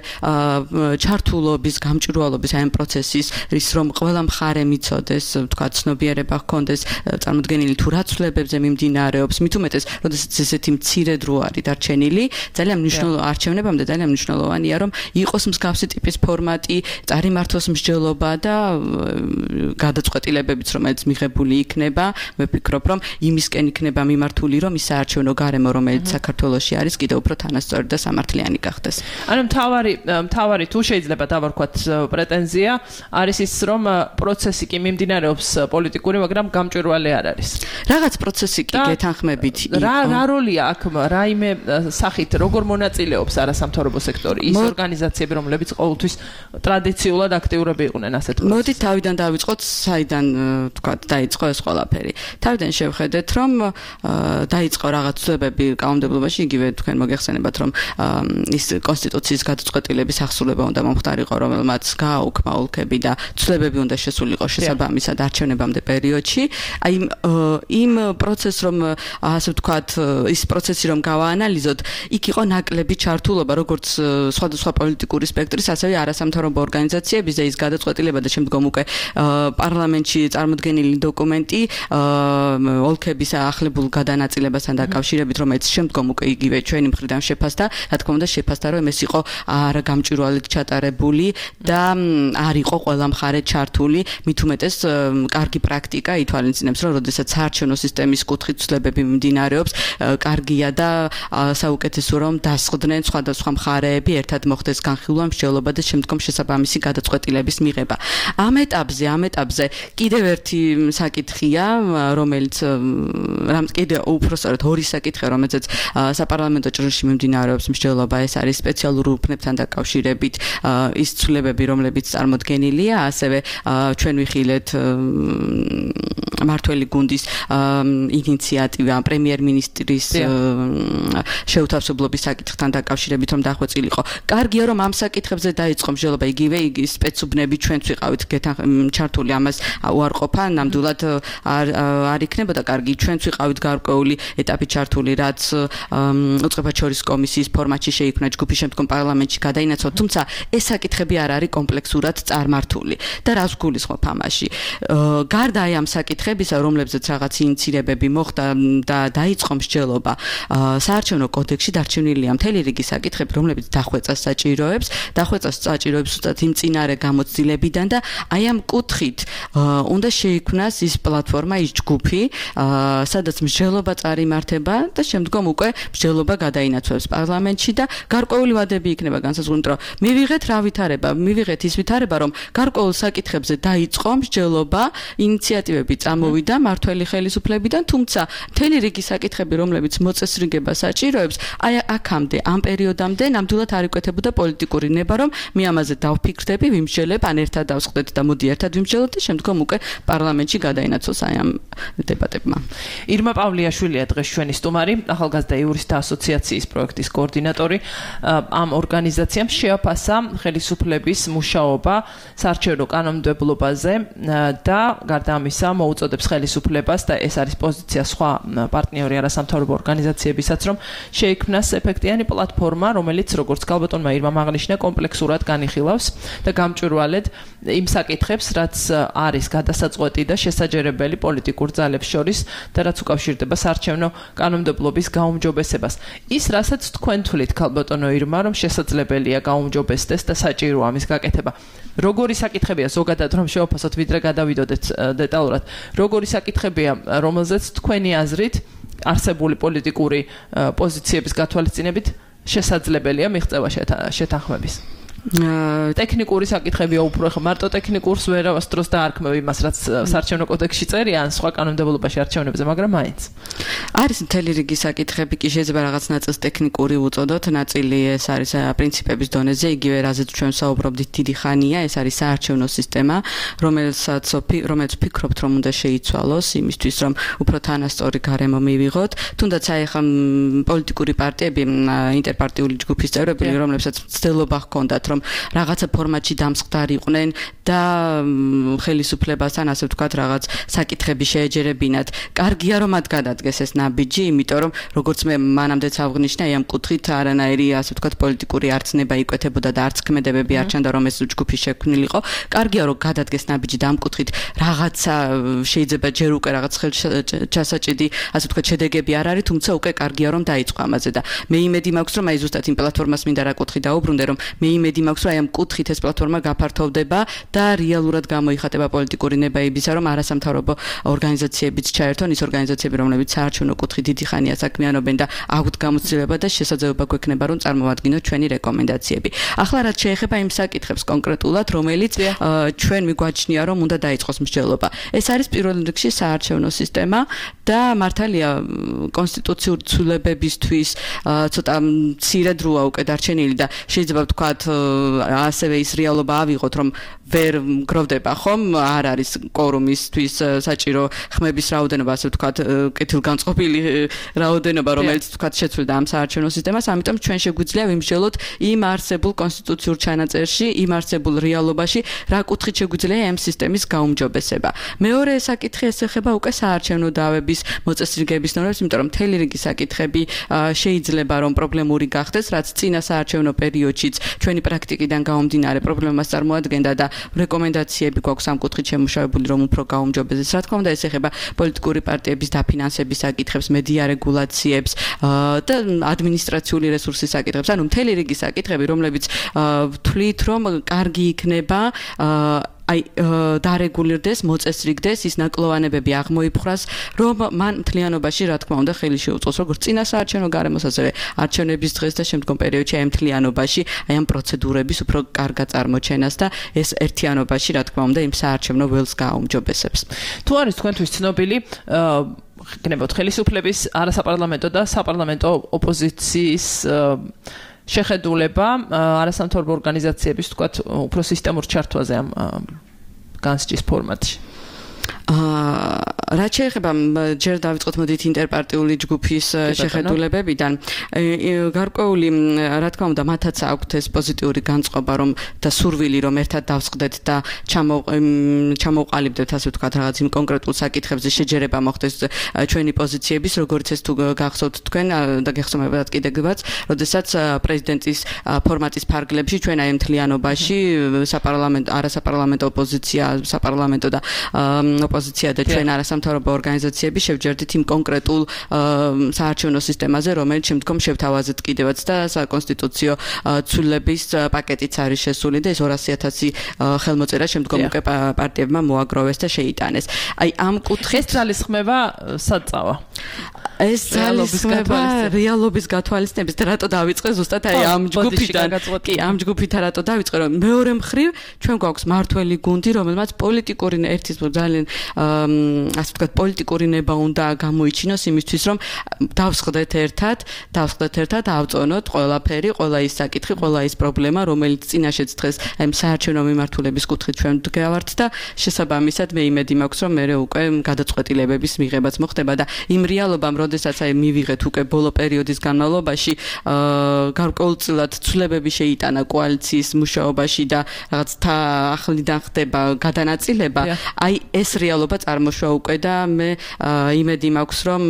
ჩართულობის, გამჭვირვალობის აი ამ პროცესის რის რომ ყველა მხარე მიცოდეს, თქვა ცნობიერება ჰქონდეს წარმოდგენილი თუ რა ცვლილებებზე მიმდინარეობს, მით უმეტეს, როდესაც ესეთი მცირე დრო არის დარჩენილი, ძალიან მნიშვნელოვანია არჩევნებამდე ძალიან მნიშვნელოვანია რომ იყოს მსგავსი ტიპის ფორმატი, წარიმართოს მსჯელობა და გადაწყვეტილებებიც რომელიც მიღებული იქნება, მე ვფიქრობ რომ იმისკენ იქნება მიმართული რომ ის საარჩევნო გარემო რომელიც საქართველოში არის კიდევ უფრო თანასწორი და სამართლიანი გახდეს. ანუ მთავარი თუ შეიძლება დავარქვათ პრეტენზია არის ის რომ პროცესი კი მიმდინარეობს პოლიტიკური, მაგრამ გამჭვირვალე არ არის. რაღაც პროცესი კი გეთანხმებით იყო. რა როლია აქ რაიმე სახით როგორ მონაწილეობს არასამთავრობო სექტორი, ის ორგანიზაციები რომლებიც ყოველთვის ტრადიციულად აქტიურები იყვნენ ასეთ პროცესში. მოდით თავიდან დავიწყოთ, საიდან თქვა დაიწყო ეს ყველაფერი. თავიდან შევხედეთ რომ დაიწყო რაღაც ცვლილებები კანონმდებლობაში, იგივე თქვენ მოგეხსენებათ რომ ის კონსტიტუციის გადაწყვეტილების აღსრულება უნდა მომხდარიყო, რომელმაც გააუქმა ოლქები და ცვლილებები უნდა შესულიყო შესაბამისად არჩევნებამდე პერიოდში. აი იმ პროცესს რომ ასე ვთქვათ, ის პროცესი რომ გავაანალიზოთ, იქ იყო ნაკლები ჩართულობა როგორც სხვადასხვა პოლიტიკური სპექტრის, ასევე არასამთავრობო ორგანიზაციების და ის გადაწყვეტილება და შემდგომ უკვე პარლამენტში წარმოდგენილი დოკუმენტი ოლქების ახლებულ გადანაწილებასთან დაკავშირებით, რომელიც შემდგომ უკვე იგივე ჩვენი მხრიდან შეფასდა, რა თქმა უნდა შეფასდა, რომ ეს იყო არა გამჭვირვალედ ჩატარებული და არ იყო ყველა მხარე ჩართული, მით უმეტეს კარგი პრაქტიკა ითვალისწინებს, რომ როდესაც საარჩევნო სისტემის კუთხით ცვლილებები მიმდინარეობს, კარგია და საუკეთესო რომ დასხდნენ სხვადასხვა მხარეები, ერთად მოხდეს განხილვა, მსჯელობა და შემდგომ შესაბამისი გადაწყვეტილების მიღება. ამ ეტაპზე კიდევ ერთი საკითხია, რომელიც კიდევ უпростоრად ორი საკითხია, რომელზეც საპარლამენტო ჭრილში მიმდინარეობს მსჯელობა, ეს არის სპეციალურ უბნებთან დაკავშირებით ის ცვლილებები, რომლებიც წარმოდგენილია, ასევე ჩვენ ვიხილეთ მართველი გუნდის ინიციატივა პრემიერ-მინისტრის შეუთავსებლობის საკითხთან დაკავშირებით რომ დახვეწილიყო. კარგია რომ ამ საკითხებზე დაიწყო მსჯელობა, იგივე სპეცუბნები ჩვენც ვიყავით ჩართული, ამას უარყოფა, ნამდვილად არ იქნებოდა კარგი, ჩვენც ვიყავით გარკვეული ეტაპი ჩართული, რაც უწყებაჩორის კომისიის ფორმატში შეიქმნა, ჯგუფი შემდგომ პარლამენტში გადაინაცვლა, თუმცა ეს საკითხები არ არის კომპლექსურად წარმართული და რას გულისხმობ ამაში. გარდა აი ამ საკითხებისა, რომლებზეც რაღაც ინიცირებები მოხდა და დაიწყო მსჯელობა, საარჩევნო კოდექსში დარჩენილია მთელი რიგი საკითხები, რომლებიც დახვეწას საჭიროებს უბრალოდ იმ წინარე გამოცდილებიდან და აი ამ კუთხით უნდა შეიქმნას ის პლატფორმა, ის ჯგუფი, სადაც მსჯელობა წარიმართება და შემდგომ უკვე მსჯელობა გადაინაცვლებს პარლამენტში და გარკვეული ვადები იქნება განსაზღვრული, რომ მივიღეთ რა ვითარება, მივიღეთ ის ვითარება, რომ გარკვეულ საკითხებზე დაიწყო მსჯელობა, ინიციატივები წამოვიდა მართველი ხელისუფლებიდან, თუმცა მთელი რიგი საკითხები, რომლებიც მოწესრიგება საჭიროებს, აი აქამდე, ამ პერიოდამდე ნამდვილად არ იკვეთებოდა პოლიტიკური ნება, რომ მე ამაზე დავფიქრდები, ვიმსჯელებ, ან ერთად დავსყდეთ და მოდი ერთად ვიმსჯელოთ და შემდგომ უკვე პარლამენტში გადაინაცვლოს აი ამ დებატებმა. ირმა პავლიაშვილია დღეს ჩვენი სტუმარი, ახალგაზრდა იურისტთა ასოციაციის პროექტის კოორდინატორი. ამ ორგანიზაციამ შეაფასა ხელისუფლების მუშაობა საარჩევნო კანონმდებლობაზე და გარდა ამისა მოუწოდებს ხელისუფლებას და ეს არის პოზიცია სხვა პარტნიორი არასამთავრობო ორგანიზაციებისაც, რომ შეიქმნას ეფექტიანი პლატფორმა, რომელიც როგორც ქალბატონმა ირმამ აღნიშნა, კომპლექსურად განიხილავს და გამჭვირვალედ იმ საკითხებს, რაც არის გადასაწყვეტი და შესაჯერებელი პოლიტიკურ ძალებს შორის და რაც უკავშირდება საარჩევნო კანონმდებლობის გაუმჯობესებას. ის, რასაც თქვენ თვლით, ქალბატონო ირმა, რომ შესაძლებელია გაუმჯობესდეს და საჭიროა ამის გაკეთება. როგორი საკითხებია ზოგადად რომ შევაფასოთ, ვიდრე გადავიდოდეთ დეტალურად, როგორი საკითხებია, რომელზეც თქვენი აზრით არსებული პოლიტიკური პოზიციების გათვალისწინებით შესაძლებელია მიღწევა შეთანხმების? ტექნიკური საკითხებია უფრო, ხო, მარტო ტექნიკურს ვერასდროს დაარქმევ იმას, რაც საარჩევნო კოდექსში წერია, ან სხვა კანონმდებლობაში არჩევნებზე, მაგრამ მაინც. არის მთელი რიგი საკითხები, კი შეიძლება რაღაც ნაწილს ტექნიკური უწოდოთ, ნაწილი ეს არის პრინციპების დონეზე, იგივე რაზეც ჩვენ საუბრობდით დიდი ხანია, ეს არის საარჩევნო სისტემა, რომელიც ვფიქრობთ, რომ უნდა შეიცვალოს იმისთვის, რომ უფრო თანასწორი გარემო მივიღოთ, თუნდაც აი ხა პოლიტიკური პარტიები, ინტერპარტიული ჯგუფის წევრები, რომლებსაც მცდელობა ჰქონდათ რომ რაღაცა ფორმატში დამსხდარიყვნენ და ხელისუფლებასთან ასე ვთქვათ რაღაც საკითხები შეეჯერებინათ. კარგია რომ მათ გადადგეს ეს ნაბიჯი, იმიტომ რომ როგორც მე მანამდეც აღნიშნა, ამ კუთხით არანაირი ასე ვთქვათ პოლიტიკური არცნება იკვეთებოდა და არც ქმედებები არ ჩანდა რომ ეს ჯგუფი შექმნილიყო. კარგია რომ გადადგეს ნაბიჯი და ამ კუთხით რაღაცა შეიძლება ჯერ უკვე რაღაც ხელჩასაჭიდი ასე ვთქვათ შედეგები არ არის, თუმცა უკვე კარგია რომ დაიწყო ამაზე და მე იმედი მაქვს რომ აი ზუსტად იმ პლატფორმას მინდა რა კუთხით დაუბრუნდე რომ მე იმედი მაქვს რომ აი ამ კუთხით ეს პლატფორმა გაფართოვდება და რეალურად გამოიხატება პოლიტიკური ნებაებისა რომ არასამთავრობო ორგანიზაციებიც ჩაერთონ ის ორგანიზაციები რომლებიც საარჩევნო კუთხით დიდი ხანია საქმიანობენ და აქვთ გამოცდილება და შესაძლებლობა გვექნება რომ წარმოვადგინოთ ჩვენი რეკომენდაციები. ახლა რაც შეეხება იმ საკითხებს კონკრეტულად რომელიც ჩვენ მიგვაჩნია რომ უნდა დაიწყოს მსჯელობა. ეს არის პირველ რიგში საარჩევნო სისტემა და მართალია კონსტიტუციური ცვლილებებისთვის ცოტა მცირე დროა უკვე დარჩენილი და შეიძლება ვთქვათ ასევე ის რეალობა ავიღოთ რომ ვერ მგროვდება ხომ არ არის კვორუმისთვის საჭირო ხმების რაოდენობა ასე ვთქვათ კეთილგანწყობილი რაოდენობა რომელიც ვთქვათ შეცვლიდა ამ საარჩევნო სისტემას ამიტომ ჩვენ შეგვიძლია ვიმსჯელოთ იმ არსებულ კონსტიტუციურ ჩანაწერში იმ არსებულ რეალობაში რა კუთხით შეგვიძლია ამ სისტემის გაუმჯობესება. მეორე საკითხი ეს ეხება უკვე საარჩევნო დავების მოწესრიგების ნორმებს, იმიტომ რომ მთელი რიგი საკითხები შეიძლება რომ პრობლემური გახდეს, რაც წინა საარჩევნო პერიოდშიც ჩვენი პრაქტიკიდან გამომდინარე პრობლემას წარმოადგენდა და რეკომენდაციები გვაქვს ამ კუთხით შემუშავებული, რომ უფრო გაუმჯობესდეს. რა თქმა უნდა, ეს ეხება პოლიტიკური პარტიების დაფინანსების საკითხებს, მედია რეგულაციებს და ადმინისტრაციული რესურსის საკითხებს, ანუ მთელი რიგი საკითხები, რომლებიც ვთვლით, რომ კარგი იქნება აი დარეგულირდეს, მოწესრიგდეს, ის ნაკლოვანებები აღმოიფხვრას, რომ მან მთლიანობაში რა თქმა უნდა ხელი შეუწყოს როგორც წინა საარჩევნო გარემოს, ასევე არჩევნების დღეს და შემდგომ პერიოდში აი მთლიანობაში აი ამ პროცედურების უფრო კარგად წარმოჩენას და ეს ერთიანობაში რა თქმა უნდა იმ საარჩევნო ველს გააუმჯობესებს. თუ არის თქვენთვის ცნობილი გქნებოთ ხელისუფლების არასაპარლამენტო და საპარლამენტო ოპოზიციის შეხედულება არასამთავრობო ორგანიზაციების თქვათ უფრო სისტემურ ჩართვაზე ამ განსჯის ფორმატში. რაც შეეხება ჯერ დავიწყოთ მოდით ინტერპარტიული ჯგუფის შეხედულებებიდან გარკვეული რა თქმა უნდა მათაც აქვთ ეს პოზიტიური განწყობა რომ და სურვილი რომ ერთად დავსყდეთ და ჩამოვყალიბდეთ ასე ვთქვათ რაღაც იმ კონკრეტულ საკითხებზე შეჯერება მოხდეს ჩვენი პოზიციების როგორც ეს თუ გახსოვთ თქვენ და გეხსოვებათ კიდევაც როდესაც პრეზიდენტის ფორმატის ფარგლებში ჩვენ აი მთლიანობაში საპარლამენტო არასაპარლამენტო ოპოზიცია საპარლამენტო და ოპოზიცია და ჩვენ არასამთავრობო ორგანიზაციები შევჯერდით იმ კონკრეტულ საარჩევნო სისტემაზე, რომელიც შემდგომ შევთავაზეთ კიდევაც და საკონსტიტუციო ცვლილების პაკეტიც არის შესული და ეს 200,000 ხელმოწერა შემდგომ უკვე პარტიებმა მოაგროვეს და შეიტანეს. აი ამ კუთხით ეს ძალისხმევა საწავა. ეს ძალისხმევა რეალობის გათვალისწინების და რატო დავიწყე ზუსტად აი ამ ჯგუფიდან კი ამ ჯგუფიდან რატო დავიწყე რომ მეორე მხრივ ჩვენ გვაქვს მართველი გუნდი რომელმაც პოლიტიკური ერთის ძალიან ასე ვთქვათ პოლიტიკური ნება უნდა გამოიჩინოს იმისთვის რომ დავსხდეთ ერთად ავწონოთ ყველაფერი ყველა ის საკითხი ყველა ის პრობლემა რომელიც წინაშეც დღეს აი საარჩევნო მიმართულების კუთხით ჩვენ გავართ და შესაბამისად მე იმედი მაქვს რომ მე უკვე გადაწყვეტილებების მიღებაც მოხდება და იმ რეალობამ როდესაც აი მივიღეთ უკვე ბოლო პერიოდის განმავლობაში გარკვეულწილად ცვლილებები შეიტანა კოალიციის მუშაობაში და რაღაც ახლიდან ხდება გადანაწილება აი ეს რეალობა წარმოშვა უკვე და მე იმედი მაქვს რომ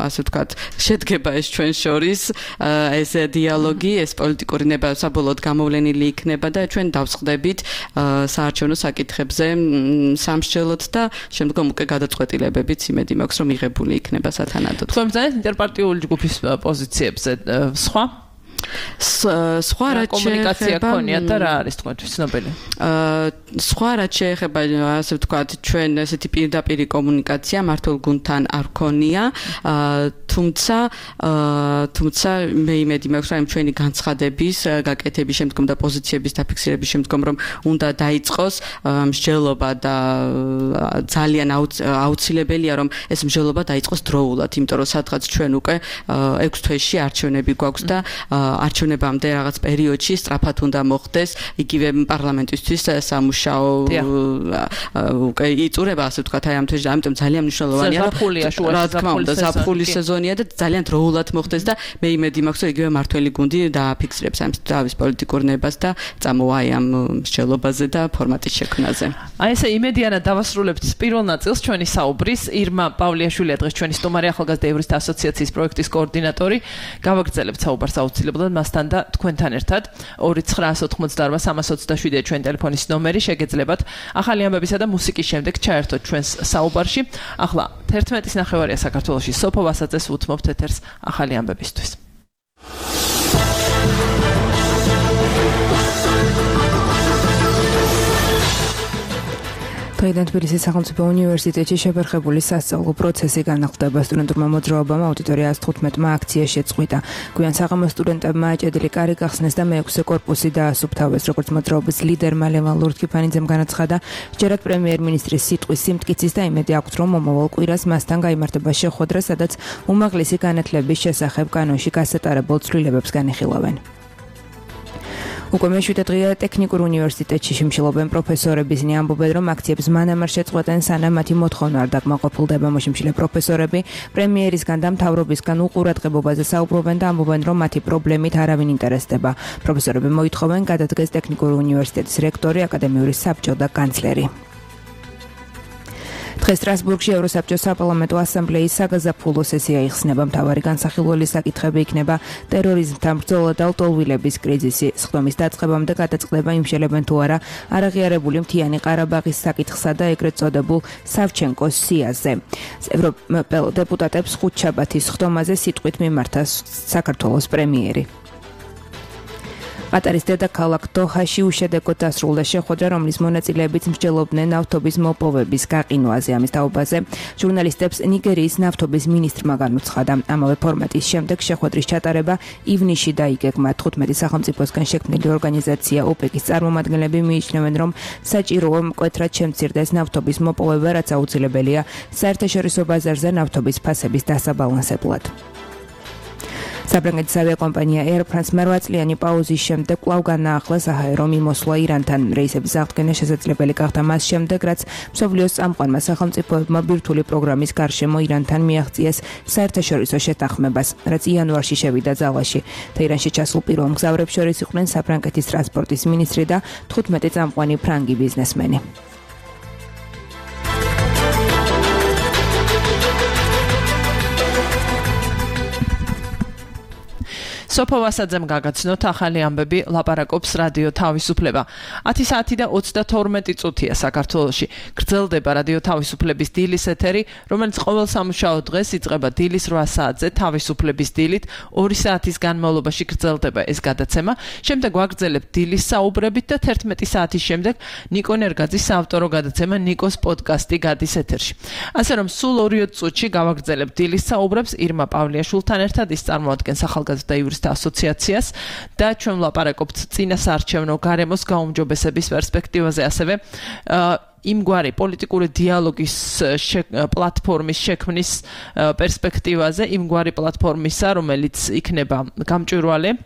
ასე ვთქვათ შედგება ეს ჩვენ შორის ეს დიალოგი ეს პოლიტიკური ნება საბოლოოდ გამოვლენილი იქნება და ჩვენ დავსხდებით საარჩევნო საკითხებზე სამსჯელოდ და შემდგომ უკვე გადაწყვეტილებებიც იმედი მაქვს რომ მიღებული იქნება სათანადოდ. თქვენ ბრძანეთ ინტერპარტიული ჯგუფის პოზიციებზე სხვა სხვა რაც კომუნიკაცია ქონია და რა არის თქვენთვის ცნობილი? სხვა რაც შეეხება ასე ვთქვათ ჩვენ ესეთი პირდაპირი კომუნიკაცია მართულ გუნდთან არ ქონია თუმცა მე იმედი მაქვს რომ ჩვენი განცხადების გაკეთების შემდგომ და პოზიციების დაფიქსირების შემდგომ რომ უნდა დაიწყოს მსჯელობა და ძალიან აუცილებელია რომ ეს მსჯელობა დაიწყოს დროულად იმიტომ რომ სადღაც ჩვენ უკვე 6 თვეში არჩევნები გვაქვს და არჩევნებამდე რაღაც პერიოდში სწრაფად უნდა მოხდეს იგივე პარლამენტისთვის სამუშაო უკვე იწურება ასე ვთქვათ აი ამ თვეში ამიტომ ძალიან მნიშვნელოვანია რა თქმა უნდა ზაფხულის სეზონია და ძალიან დროულად მოხდეს და მე იმედი მაქვს რომ იგივე მართველი გუნდი დააფიქსირებს ამ თავის პოლიტიკურ ნებას და წამოვა ამ მსჯელობაზე და ფორმატის შექმნაზე. აი ესე იმედიანად დავასრულებთ პირველ ნაწილს ჩვენი საუბრის. ირმა პავლიაშვილია დღეს ჩვენი სტუმარი, ახალგაზრდა იურისტთა ასოციაციის პროექტის კოორდინატორი. გავაგრძელებთ საუბარს აუცილებლად მასთან და თქვენთან ერთად. 2988327 ჩვენი ტელეფონის ნომერი, შეგეძლებათ ახალი ამბებისა და მუსიკის შემდეგ ჩაერთოთ ჩვენს საუბარში. ახლა 11:09 საქართველოში სოფო ვასაძეს უთმობთ ეთერს ახალი ამბებისთვის. დღეიდან თბილისის სახელმწიფო უნივერსიტეტში შეფერხებული სასწავლო პროცესი განახლდება. სტუდენტურმა მოძრაობამ აუდიტორია 115 აქცია შეწყვიტა. გვიან საღამოს სტუდენტებმა აჭედილი კარი გახსნეს და მე-6 კორპუსი დაასუფთავეს. როგორც მოძრაობის ლიდერმა ლევან ლურთქიფანიძემ განაცხადა, ჯერად პრემიერ-მინისტრის სიტყვის სიმტკიცის და იმედი აქვს, რომ მომავალ კვირას მასთან გაიმართება შეხვედრა, სადაც უმაღლესი განათლების შესახებ კანონში გასატარებულ ცვლილებებს განიხილავენ. უკვე მე-7 დღეა ტექნიკურ უნივერსიტეტში შიმშილობენ პროფესორები. ისინი ამბობენ, რომ აქციებს მანამ არ შეწყვეტენ, სანამ მათი მოთხოვნა არ დაკმაყოფილდება. მოშიმშილე პროფესორები პრემიერისგან და მთავრობისგან უყურადღებობაზე საუბრობენ და ამბობენ, რომ მათი პრობლემით არავინ ინტერესდება. პროფესორები მოითხოვენ გადადგეს ტექნიკური უნივერსიტეტის რექტორი, აკადემიური საბჭო და კანცლერი. დღეს სტრასბურგში ევროსაბჭოს საპარლამენტო ასამბლეის საგაზაფხულო სესია იხსნება. მთავარი განსახილველი საკითხები იქნება ტერორიზმთან ბრძოლა და ლტოლვილების კრიზისი. სხდომის დაწყებამდე გადაწყდება იმშელებენ თუ არა არაღიარებული მთიანი ყარაბაღის საკითხსა და ეგრეთ წოდებულ სავჩენკოს სიაზე. ევროპელ დეპუტატებს ხუთშაბათის სხდომაზე სიტყვით მიმართა საქართველოს პრემიერი. ყატარის დედაქალაქ დოჰაში უშედეგოდ დასრულდა შეხვედრა, რომლის მონაწილეებიც მსჯელობდნენ ნავთობის მოპოვების გაყინვაზე. ამის თაობაზე ჟურნალისტებს ნიგერიის ნავთობის მინისტრმა განუცხადა. ამავე ფორმატის შემდეგ შეხვედრის ჩატარება ივნისში დაიგეგმა. 15 სახელმწიფოსგან შექმნილი ორგანიზაცია ოპეკის წარმომადგენლები მიიჩნევენ, რომ საჭიროა მკვეთრად შემცირდეს ნავთობის მოპოვება, რაც აუცილებელია საერთაშორისო ბაზარზე ნავთობის ფასების დასაბალანსებლად. საფრანგეთის ავიაკომპანია Air France 8 წლიანი პაუზის შემდეგ კვლავ განაახლა საჰაერო მიმოსვლა ირანთან. რეისების აღდგენა შესაძლებელი გახდა მას შემდეგ, რაც მსოფლიოს წამყვანმა სახელმწიფოებმა ბირთვული პროგრამის გარშემო ირანთან მიაღწიეს საერთაშორისო შეთანხმებას, რაც იანვარში შევიდა ძალაში. თეირანში ჩასულ პირველ მგზავრებს შორის იყვნენ საფრანგეთის ტრანსპორტის მინისტრი და 15 წამყვანი ფრანგი ბიზნესმენი. სოფო ვასაძემ გაგაცნოთ ახალი ამბები, ლაპარაკობს რადიო თავისუფლება. 10 საათი და 32 წუთია საქართველოში. გრძელდება რადიო თავისუფლების დილის ეთერი, რომელიც ყოველ სამუშაო დღეს იწყება დილის 8 საათზე თავისუფლების დილით, 2 საათის განმავლობაში გრძელდება ეს გადაცემა. შემდეგ ვაგრძელებთ დილის საუბრებით და 11 საათის შემდეგ ნიკო ნერგაძის საავტორო გადაცემა ნიკოს პოდკასტი გადის ეთერში. ასე რომ სულ 2 წუთში გავაგრძელებთ დილის საუბრებს ირმა პავლიაშვილთან ერთად, ის წარმოადგენს ახალგაზრდა იურისტთა ასოციაციას და ჩვენ ვლაპარაკობთ წინასაარჩევნო გარემოს გაუმჯობესების პერსპექტივაზე, ასევე იმგვარი პოლიტიკური დიალოგის პლატფორმის შექმნის პერსპექტივაზე, იმგვარი პლატფორმისა, რომელიც იქნება გამჭვირვალე,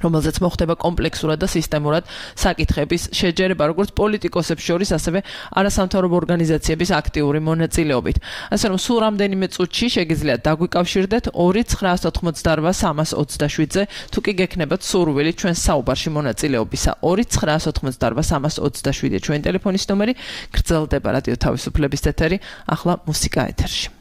რომელზეც მოხდება კომპლექსურად და სისტემურად საკითხების შეჯერება, როგორც პოლიტიკოსებს შორის, ასევე არასამთავრობო ორგანიზაციების აქტიური მონაწილეობით. ასე რომ სულ რამდენიმე წუთში შეგიძლიათ დაგვიკავშირდეთ 2988327-ზე, თუ კი გექნებათ სურვილი ჩვენ საუბარში მონაწილეობისა. 2988327 ჩვენი ტელეფონის ნომერი, გრძელდება რადიო თავისუფლების ეთერი, ახლა მუსიკა ეთერში.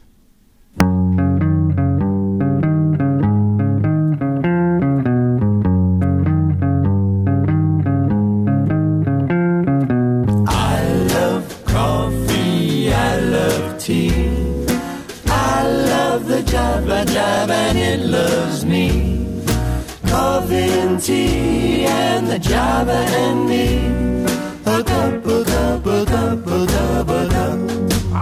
Java and it loves me. Coffee and tea and the Java and me. A cup, a cup, a cup, a cup, a cup. I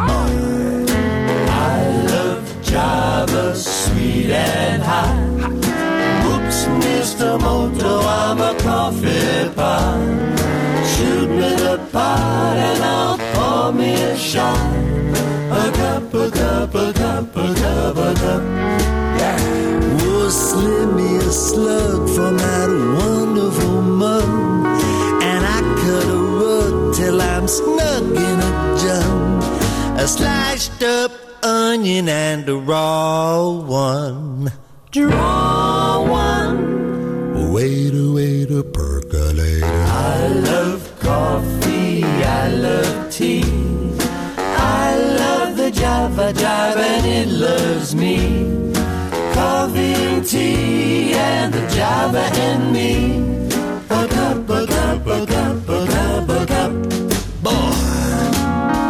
love Java, sweet and hot. Whoops, Mr. Moto, I'm a coffee pot. Shoot me the pot and I'll pour me a shot. A cup, a cup, a cup, a cup, a cup. Yeah. Oh, slim me a slug snug in a jug, a sliced up onion and a raw one. Draw one. Waiter, percolator. I love coffee, I love tea. I love the Java Jive and it loves me. Coffee and tea and the Java and me. A cup, a cup, a cup, a cup, a cup. Boy,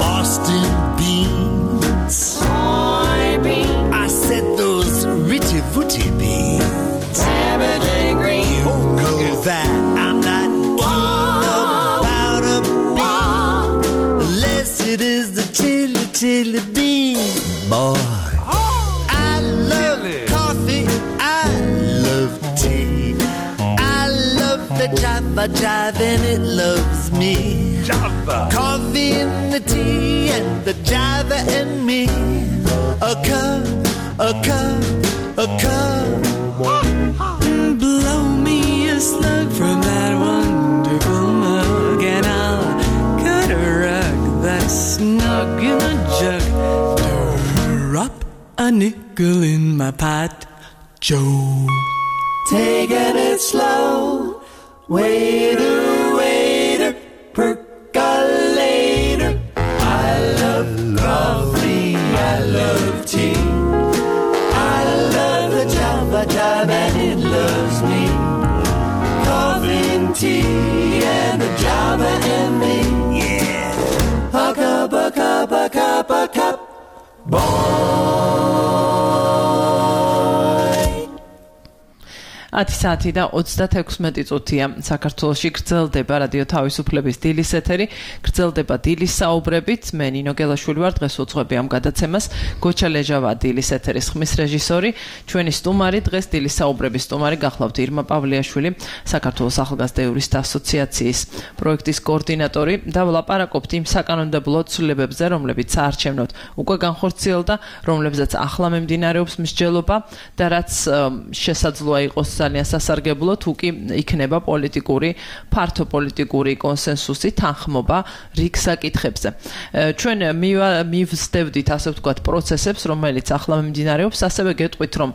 Boston beans. Soybeans. I said those ritty footy beans. Everything green. You know that I'm not keen about a bean unless it is the chili bean. Boy, I love coffee, I love tea, I love the Java Jive and it loves me. Java. Coffee and the tea and the Java and me. A cup, a cup, a cup. Blow me a slug from that wonderful mug, and I'll cut a rug that's snug in a jug. Drop a nickel in my pot, Joe. Taking it slow, waiter, percolator. I love coffee, I love tea, I love the Java Jive and it loves me. Coffee and tea and the Java and me. Yeah. A cup, a cup, a cup, a cup. Ათი საათი და 36 წუთია საქართველოში გრძელდება რადიო თავისუფლების დილის ეთერი, გრძელდება დილის საუბრებით. მე ნინო გელაშვილი ვარ, დღეს უძღვები ამ გადაცემას. გოჩა ლეჟავა დილის ეთერის ხმის რეჟისორი, ჩვენი სტუმარი დღეს დილის საუბრების სტუმარი გახლავთ ირმა პავლეაშვილი, საქართველოს ახალგაზრდა იურისტთა ასოციაციის პროექტის კოორდინატორი და ვლაპარაკობთ იმ საკანონმდებლო ცვლილებებზე, რომლებიც საარჩევნოდ უკვე განხორციელდა, რომლებზეც ახლა მიმდინარეობს მსჯელობა და რაც შესაძლოა იყოს ძალიან სასარგებლო თუ კი იქნება პოლიტიკური, ფართო პოლიტიკური კონსენსუსი, თანხმობა რიგ საკითხებზე. ჩვენ მივსდევდით ასე ვთქვათ პროცესებს, რომელიც ახლა მიმდინარეობს, ასევე გეტყვით, რომ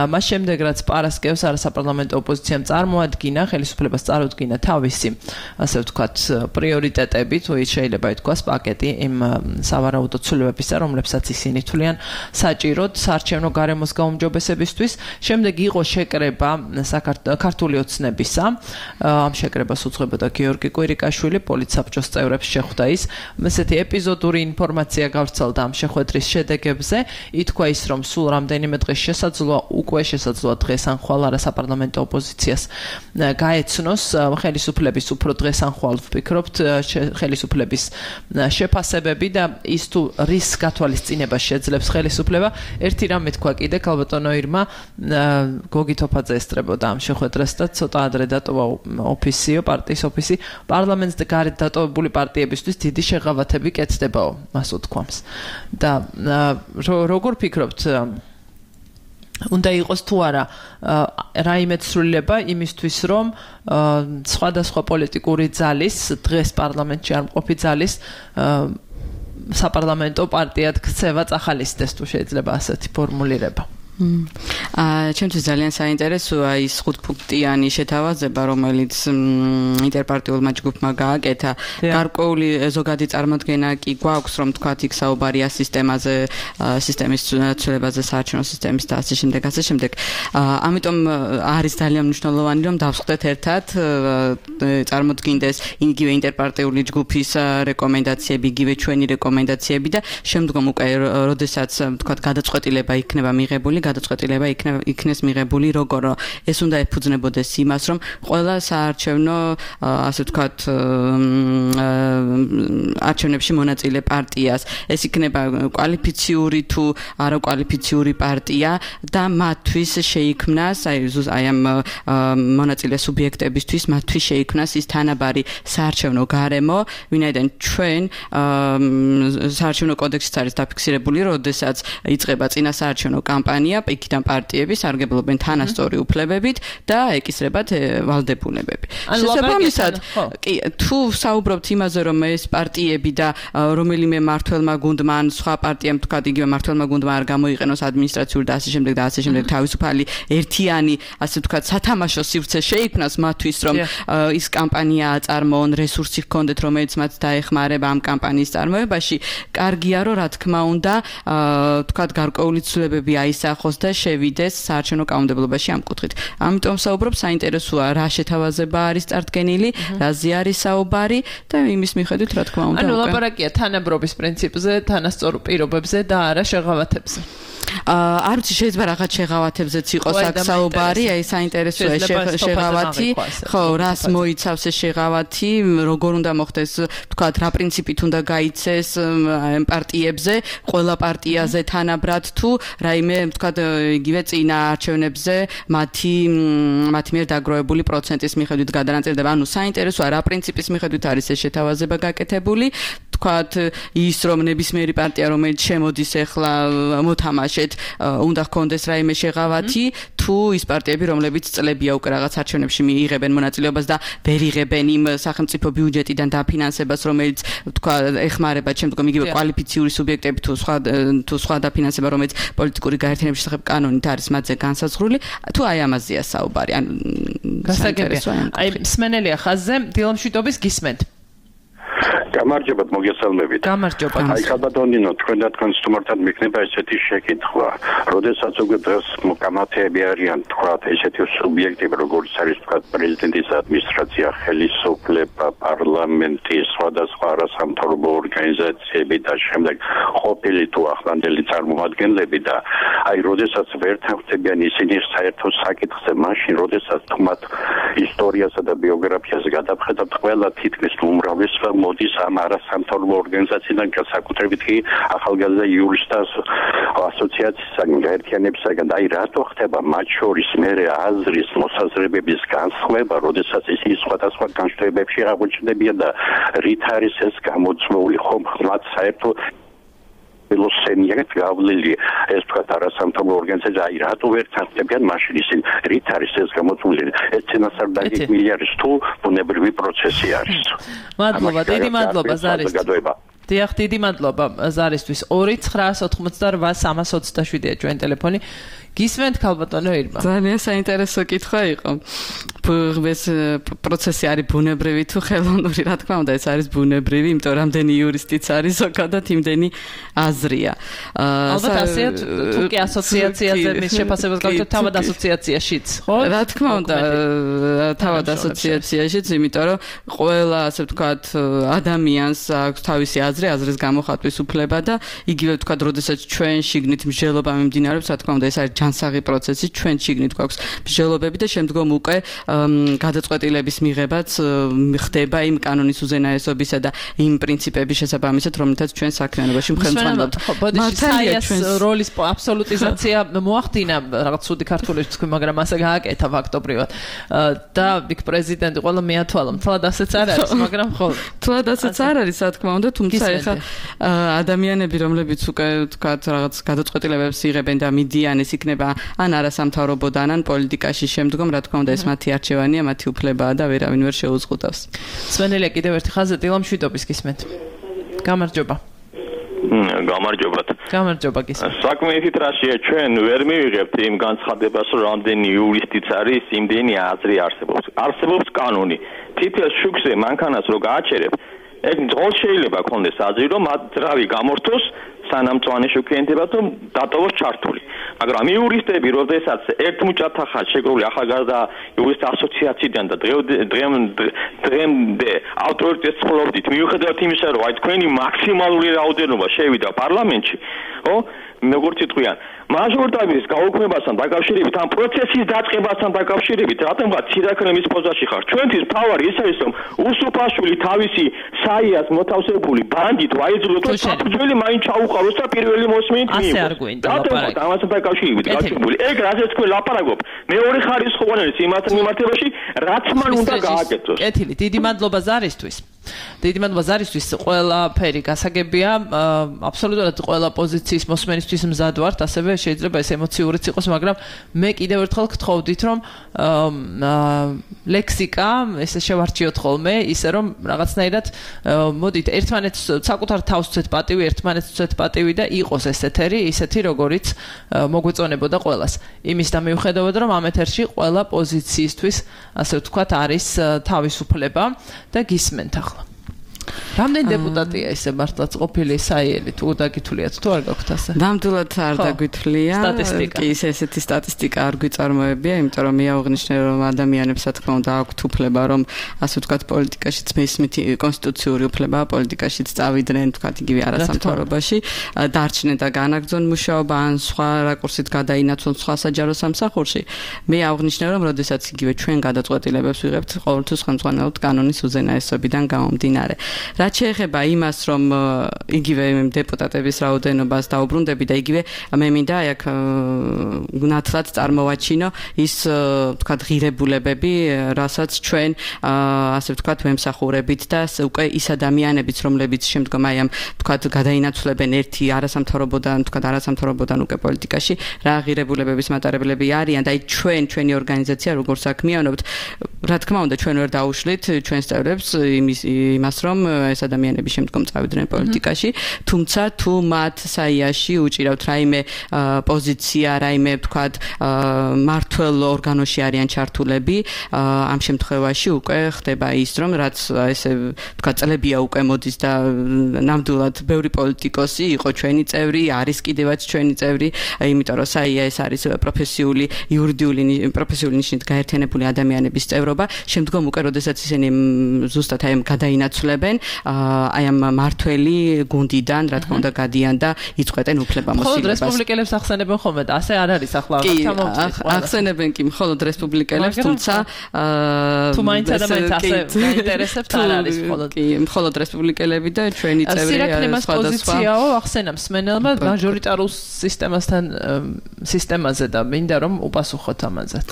მას შემდეგ რაც პარასკევს არასაპარლამენტო ოპოზიციამ წარმოადგინა, ხელისუფლებას წარუდგინა თავისი, ასე ვთქვათ, პრიორიტეტები, თუ შეიძლება ითქვას პაკეტი იმ სავარაუდო ცვლილებებისა, რომლებსაც ისინი თვლიან საჭიროდ საარჩევნო გარემოს გაუმჯობესებისთვის. შემდეგ იყო შეკრება ქართული ოცნებისა. ამ შეკრებას უძღვებოდა გიორგი კვირიკაშვილი, პოლიტსაბჭოს წევრებს შეხვდა ის. ესეთი ეპიზოდური ინფორმაცია გავრცელდა ამ შეხვედრის შედეგებზე. ითქვა ის, რომ სულ რამდენიმე დღეს შესაძლოა დღეს ან ხვალ არასაპარლამენტო ოპოზიციას გაეცნოს ხელისუფლების უფრო დღეს ან ხვალ ვფიქრობთ ხელისუფლების შეფასებები და ის თუ რის გათვალისწინებას შეძლებს ხელისუფლება. ერთი რამე თქვა კიდე ქალბატონო ირმა გოგი თოფაძე ესწრებოდა ამ შეხვედრას და ცოტა ადრე დატოვა პარტიის ოფისი. პარლამენტს გარეთ დატოვებული პარტიებისთვის დიდი შეღავათები კეთდებაო, მას უთქვამს. და როგორ ფიქრობთ, უნდა იყოს თუ არა რაიმე ცვლილება იმისთვის, რომ სხვადასხვა პოლიტიკური ძალის, დღეს პარლამენტში არ მყოფი ძალის საპარლამენტო პარტიად ქცევა წახალისდეს, თუ შეიძლება ასეთი ფორმულირება? ჩემთვის ძალიან საინტერესოა ის 5-პუნქტიანი შეთავაზება, რომელიც ინტერპარტიულმა ჯგუფმა გააკეთა. გარკვეული ზოგადი წარმოდგენა კი გვაქვს, რომ თქვათ იქ საუბარია სისტემაზე, სისტემის ცვლილებაზე, საარჩევნო სისტემის და ასე შემდეგ. ამიტომ არის ძალიან მნიშვნელოვანი, რომ დავსხდეთ ერთად, წარმოდგინდეს იგივე ინტერპარტიული ჯგუფის რეკომენდაციები, იგივე ჩვენი რეკომენდაციები და შემდგომ უკვე როდესაც თქვათ გადაწყვეტილება იქნება მიღებული, გადაწყვეტილება იქნეს მიღებული, როგორ ეს უნდა ეფუძნებოდეს იმას, რომ ყველა საარჩევნო, ასე ვთქვათ, არჩევნებში მონაწილე პარტიას, ეს იქნება კვალიფიციური თუ არაკვალიფიციური პარტია და მათთვის შეიქმნას, აი ამ მონაწილე სუბიექტებისთვის მათთვის შეიქმნას ის თანაბარი საარჩევნო გარემო, ვინაიდან ჩვენ საარჩევნო კოდექსიც არის დაფიქსირებული, როდესაც იწყება წინა საარჩევნო კამპანია, კამპანია, იქიდან პარტიები სარგებლობენ თანასწორი უფლებებით და ეკისრებათ ვალდებულებები. შესაბამისად, თუ საუბრობთ იმაზე, რომ ეს პარტიები და რომელიმე მმართველმა გუნდმა ან სხვა პარტიამ თქვა იგივე მმართველმა გუნდმა არ გამოიყენოს ადმინისტრაციული და ასე შემდეგ თავისუფალი ერთიანი, ასე ვთქვათ, სათამაშო სივრცე შეიქმნას მათთვის, რომ ის კამპანია აწარმოონ, რესურსი ჰქონდეთ, რომელიც მათ დაეხმარება ამ კამპანიის წარმოებაში, კარგია, რომ რა თქმა უნდა, ვთქვათ, გარკვეული ცვლილებები აისახოს და შევიდეს საარჩევნო კანონმდებლობაში ამ კუთხით. ამიტომ საუბრობ, საინტერესოა რა შეთავაზება არის წარდგენილი, რაზე არის საუბარი და იმის მიხედვით რა თქმა უნდა. ანუ ლაპარაკია თანაბრობის პრინციპზე, თანასწორ პირობებზე და არა შეღავათებზე. არ ვიცი, შეიძლება რაღაც შეღავათებზეც იყოს აქ საუბარი, აი საინტერესოა შეღავათი, ხო, რას მოიცავს ეს შეღავათი, როგორ უნდა მოხდეს, ვთქვათ, რა პრინციპით უნდა გაიცეს პარტიებზე, ყველა პარტიაზე თანაბრად თუ რაიმე, ვთქვათ, იგივე წინა არჩევნებზე მათი მიერ დაგროვებული პროცენტის მიხედვით გადანაწილდება. ანუ საინტერესოა რა პრინციპის მიხედვით არის ეს შეთავაზება გაკეთებული. ვთქვათ, ის რომ ნებისმიერი პარტია, რომელიც შემოდის ახლა მოთამაშეთ, უნდა ჰქონდეს რაიმე შეღავათი, თუ ის პარტიები, რომლებიც წლებია უკვე რაღაც არჩევნებში მიიღებენ მონაწილეობას და ვერ იღებენ იმ სახელმწიფო ბიუჯეტიდან დაფინანსებას, რომელიც თქვა ეხმარება შემდგომ იგივე კვალიფიციური სუბიექტები თუ სხვა დაფინანსება, რომელიც პოლიტიკური გაერთიანების შესახებ კანონით არის მათზე განსაზღვრული, თუ აი ამაზეა საუბარი. ანუ გასაგებია. აი მსმენელია ხაზზე, დილამშვიდობის გისმენთ. გამარჯობათ, მოგესალმებით. გამარჯობა. აი ხალბატონინო, თქვენ და თქვენ სტუმართან მიქნება ესეთი შეკითხვა. როდესაც უკვე დღეს გამართები არიან, თქვათ, ესეთი სუბიექტები, როგორც არის, თქვათ, პრეზიდენტის ადმინისტრაცია, ხელისუფლება, პარლამენტი, სხვადასხვა არასამთავრობო ორგანიზაციები და შემდეგ ყოფილი თუ ახლანდელი წარმომადგენლები და აი როდესაც ვერ თანხმდებიან ისინი საერთო საკითხზე, მაშინ როდესაც თუმად ისტორიასა და ბიოგრაფიას გადავხედავთ, ყველა თითქმის უმრავლესობა მოდის ამ არასამთავრობო ორგანიზაციიდან, განსაკუთრებით კი ახალგაზრდა იურისტთა ასოციაციისაგან, გაერთიანებისაგან. აი რატო ხდება მათ შორის მერე აზრის მოსაზრებების განსხვავება, როდესაც ისინი სხვადასხვა განშტოებებში აღმოჩნდებიან და რით არის ეს გამოწვეული, ხომ ხმად საერთო ველოსენიეთ გავლილი ეს თქვათ არასამთავრობო ორგანიზაცია, აი რატო ვერ თანხმდებიან მაშინ ისინი, რით არის ეს გამოწვეული? ეს წინასწარ დაგეგმილი არის თუ ბუნებრივი პროცესი არის? მადლობა, დიდი მადლობა ზარისთვის. დიახ, დიდი მადლობა ზარისთვის. 2988327-ია ჩვენ ტელეფონი. გისმენთ ხალბატონო ირმა. ძალიან საინტერესო კითხვა იყო. ეს პროცესი არის ბუნებრივი თუ ხელოვნური, რა თქმა უნდა, ეს არის ბუნებრივი, იმიტომ რომ რამდენი იურისტიც არის ზოგადად იმდენი აზრია. ალბათ ასეა თუ კი ასოციაციაზე მის შეფასებას გავიგოთ თავად ასოციაციაშიც, ხო? რა თქმა უნდა, თავად ასოციაციაშიც, იმიტომ რომ ყველა, ასე ვთქვათ, ადამიანს აქვს თავისი აზრის გამოხატვის უფლება და იგივე ვთქვათ, როდესაც ჩვენ შიგნით მსჯელობა მიმდინარეობს, რა თქმა უნდა, ეს არის ჯანსაღი პროცესი, ჩვენ შიგნით გვაქვს მსჯელობები და შემდგომ უკვე გადაწყვეტილების მიღებაც ხდება იმ კანონის უზენაესობისა და იმ პრინციპების შესაბამისად, რომელთაც ჩვენ საქმიანობაში ხელმძღვანელობთ. მართალია როლის აბსოლუტიზაცია მოახდინა რაღაც ცუდი ქართული თქვი, მაგრამ ასე გააკეთა ფაქტობრივად. და იქ პრეზიდენტი ყველა მეათვალა, თლად ასეც არ არის, მაგრამ ხო. თლად ასეც არ არის, რა თქმა უნდა, თუმცა ეხა ადამიანები, რომლებიც უკვე თქვათ რაღაც გადაწყვეტილებებს იღებენ და მიდიან, ეს იქნება ან არასამთავრობოდან, ან პოლიტიკაში შემდგომ, რა თქმა უნდა, ეს მათი არჩევანია, მათი უფლებაა და ვერავინ ვერ შეუზღუდავს. სვენელია კიდევ ერთი ხაზზე დილამშვიდობის გისმენთ. გამარჯობა. გამარჯობათ. გამარჯობა გისმენთ. საქმე ისეთ რაშია, ჩვენ ვერ მივიღებთ იმ განცხადებას, რომ რამდენი იურისტიც არის, იმდენი აზრი არსებობს. არსებობს კანონი. თითქოს შუქზე მანქანას რო გააჩერებ, ეგ ძღოლ შეიძლება ქონდეს აზრი, რომ ძრავი გამორთოს სანამ წვანი შუქიენდება თუ დატოვოს ჩართული. მაგრამ იურისტები, როდესაც ერთ მუჭათახად შეგროვილი ახალგაზრდა იურისტთა ასოციაციიდან და დღემდე ავტორიტეტს ფლობდით, მიუხედავად იმისა, რომ აი თქვენი მაქსიმალური რაოდენობა შევიდა პარლამენტში, ხო? როგორც იტყვიან, მაჟორიტარობის გაუქმებასთან დაკავშირებით, ამ პროცესის დაწყებასთან დაკავშირებით, რატომღაც ცირაქლემის პოზაში ხარ. ჩვენთვის მთავარი ის არის, რომ უსუფაშვილი თავისი საიას მოთავსებული ბანდით ვაიძულოთ, რომ საფუძველი მაინც ჩაუყაროს და პირველი მოსმენით მიიღოს. ასე არ გვინდა ლაპარაკი. ამასთან დაკავშირებით გაჩვენებული. ეგ რაზეც თქვენ ლაპარაკობ, მეორე ხარისხოვანი იმათ მიმართებაში, რაც მან უნდა გააკეთოს. კეთილი, დიდი მადლობა ზარისთვის. დიდი მადლობა ზარისთვის, ყველაფერი გასაგებია, აბსოლუტურად ყველა პოზიციის მოსმენისთვის მზად ვართ, ასევე შეიძლება ეს ემოციურიც იყოს, მაგრამ მე კიდევ ერთხელ გთხოვდით, რომ ლექსიკა, ესე შევარჩიოთ ხოლმე, ისე რომ რაღაცნაირად მოდით ერთმანეთს საკუთარ თავს ვცეთ პატივი, ერთმანეთს ვცეთ პატივი და იყოს ეს ეთერი, ისეთი როგორიც მოგვეწონებოდა ყველას. იმის და მიუხედავად რომ ამ ეთერში ყველა პოზიციისთვის, ასე ვთქვათ, არის თავისუფლება და გისმენთ ახლა. რამდენი დეპუტატია ისე მართლაც ყოფილი საიელი თუ დაგითვლიათ თუ არ გაქვთ ასე? ნამდვილად არ დაგვითვლია. სტატისტიკა. კი ესეთი სტატისტიკა არ გვიწარმოებია, იმიტომ რომ მე აღნიშნე რომ ადამიანებს რა თქმა უნდა აქვთ უფლება რომ ასე ვთქვათ პოლიტიკაშიც მესმითი კონსტიტუციური უფლება პოლიტიკაშიც წავიდნენ ვთქვათ იგივე არასამთავრობაში, დარჩნენ და განაგრძონ მუშაობა ან სხვა რაკურსით გადაინაცვლონ სხვა საჯარო სამსახურში. მე აღნიშნე რომ როდესაც იგივე ჩვენ გადაწყვეტილებებს ვიღებთ ყოველთვის ხელმძღვანელობთ კანონის უზენაესობიდან გამომდინარე. რაც შეეხება იმას, რომ იგივე დეპუტატების რაოდენობას დაუბრუნდები და იგივე მე მინდა აქ ნათლად წარმოვაჩინო ის ვთქვათ ღირებულებები, რასაც ჩვენ ასე ვთქვათ ვემსახურებით და უკვე ის ადამიანებიც, რომლებიც შემდგომ აი ამ ვთქვათ გადაინაცვლებენ ერთი არასამთავრობოდან, ვთქვათ არასამთავრობოდან უკვე პოლიტიკაში, რა ღირებულებების მატარებლები არიან და აი ჩვენი ორგანიზაცია როგორც საქმიანობთ, რა თქმა უნდა ჩვენ ვერ დაუშლით ჩვენს წევრებს იმას რომ ეს ადამიანები შემდგომ წავიდნენ პოლიტიკაში, თუმცა თუ მათ საიაში უჭირავთ რაიმე პოზიცია, რაიმე ვთქვათ მართველ ორგანოში არიან ჩართულები, ამ შემთხვევაში უკვე ხდება ის, რომ რაც ესე ვთქვათ წლებია უკვე მოდის და ნამდვილად ბევრი პოლიტიკოსი იყო ჩვენი წევრი, არის კიდევაც ჩვენი წევრი, იმიტომ რომ საია ეს არის პროფესიული, იურიდიული ნიშნით გაერთიანებული ადამიანების წევრობა, შემდგომ უკვე როდესაც ისინი ზუსტად აი ამ გადაინაცვლებენ აი ამ მართველი გუნდიდან, რა თქმა უნდა, გადიან და იწყვეტენ უფლებამოსილებას. მხოლოდ რესპუბლიკელებს ახსენებენ ხოლმე და ასე არ არის ახლა ჩამოვწეს. ახსენებენ კი მხოლოდ რესპუბლიკელებს, თუმცა თუ მაინც ადამიანს ასე გაინტერესებთ არ არის მხოლოდ. კი, მხოლოდ რესპუბლიკელები და ჩვენი წევრი არის სხვადასხვა. პოზიციაო ახსენებს მენელმა მაჟორიტარულ სისტემაზე და მინდა რომ უპასუხოთ ამაზეც.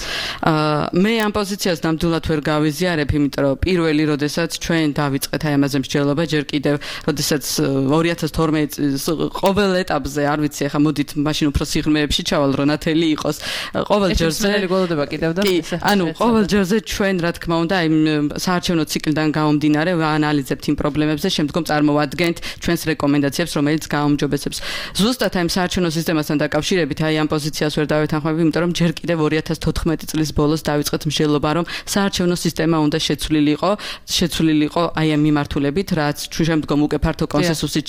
მე ამ პოზიციას ნამდვილად ვერ გავიზიარებ, იმიტომ რომ პირველი როდესაც ჩვენ დავიწყეთ აი ამაზე მსჯელობა ჯერ კიდევ როდესაც 2012 წლის ყოველ ეტაპზე არ ვიცი ახლა მოდით მაშინ უფრო სიღრმეებში ჩავალ რომ ნათელი იყოს ყოველ ჯერზე გოლოდება კიდევ და ანუ ყოველ ჯერზე ჩვენ რა თქმა უნდა აი საარჩევნო ციკლიდან გამომდინარე ვაანალიზებთ იმ პრობლემებს და შემდგომ წარმოვადგენთ ჩვენს რეკომენდაციებს რომელიც გააუმჯობესებს ზუსტად აი საარჩევნო სისტემასთან დაკავშირებით აი ამ პოზიციას ვერ დავეთანხმები იმიტომ რომ ჯერ კიდევ 2014 წლის ბოლოს დავიწყეთ მსჯელობა რომ საარჩევნო სისტემა უნდა შეცვლილიყო აი ამ მიმართულებით რაც შემდგომ უკვე ფართო კონსენსუსით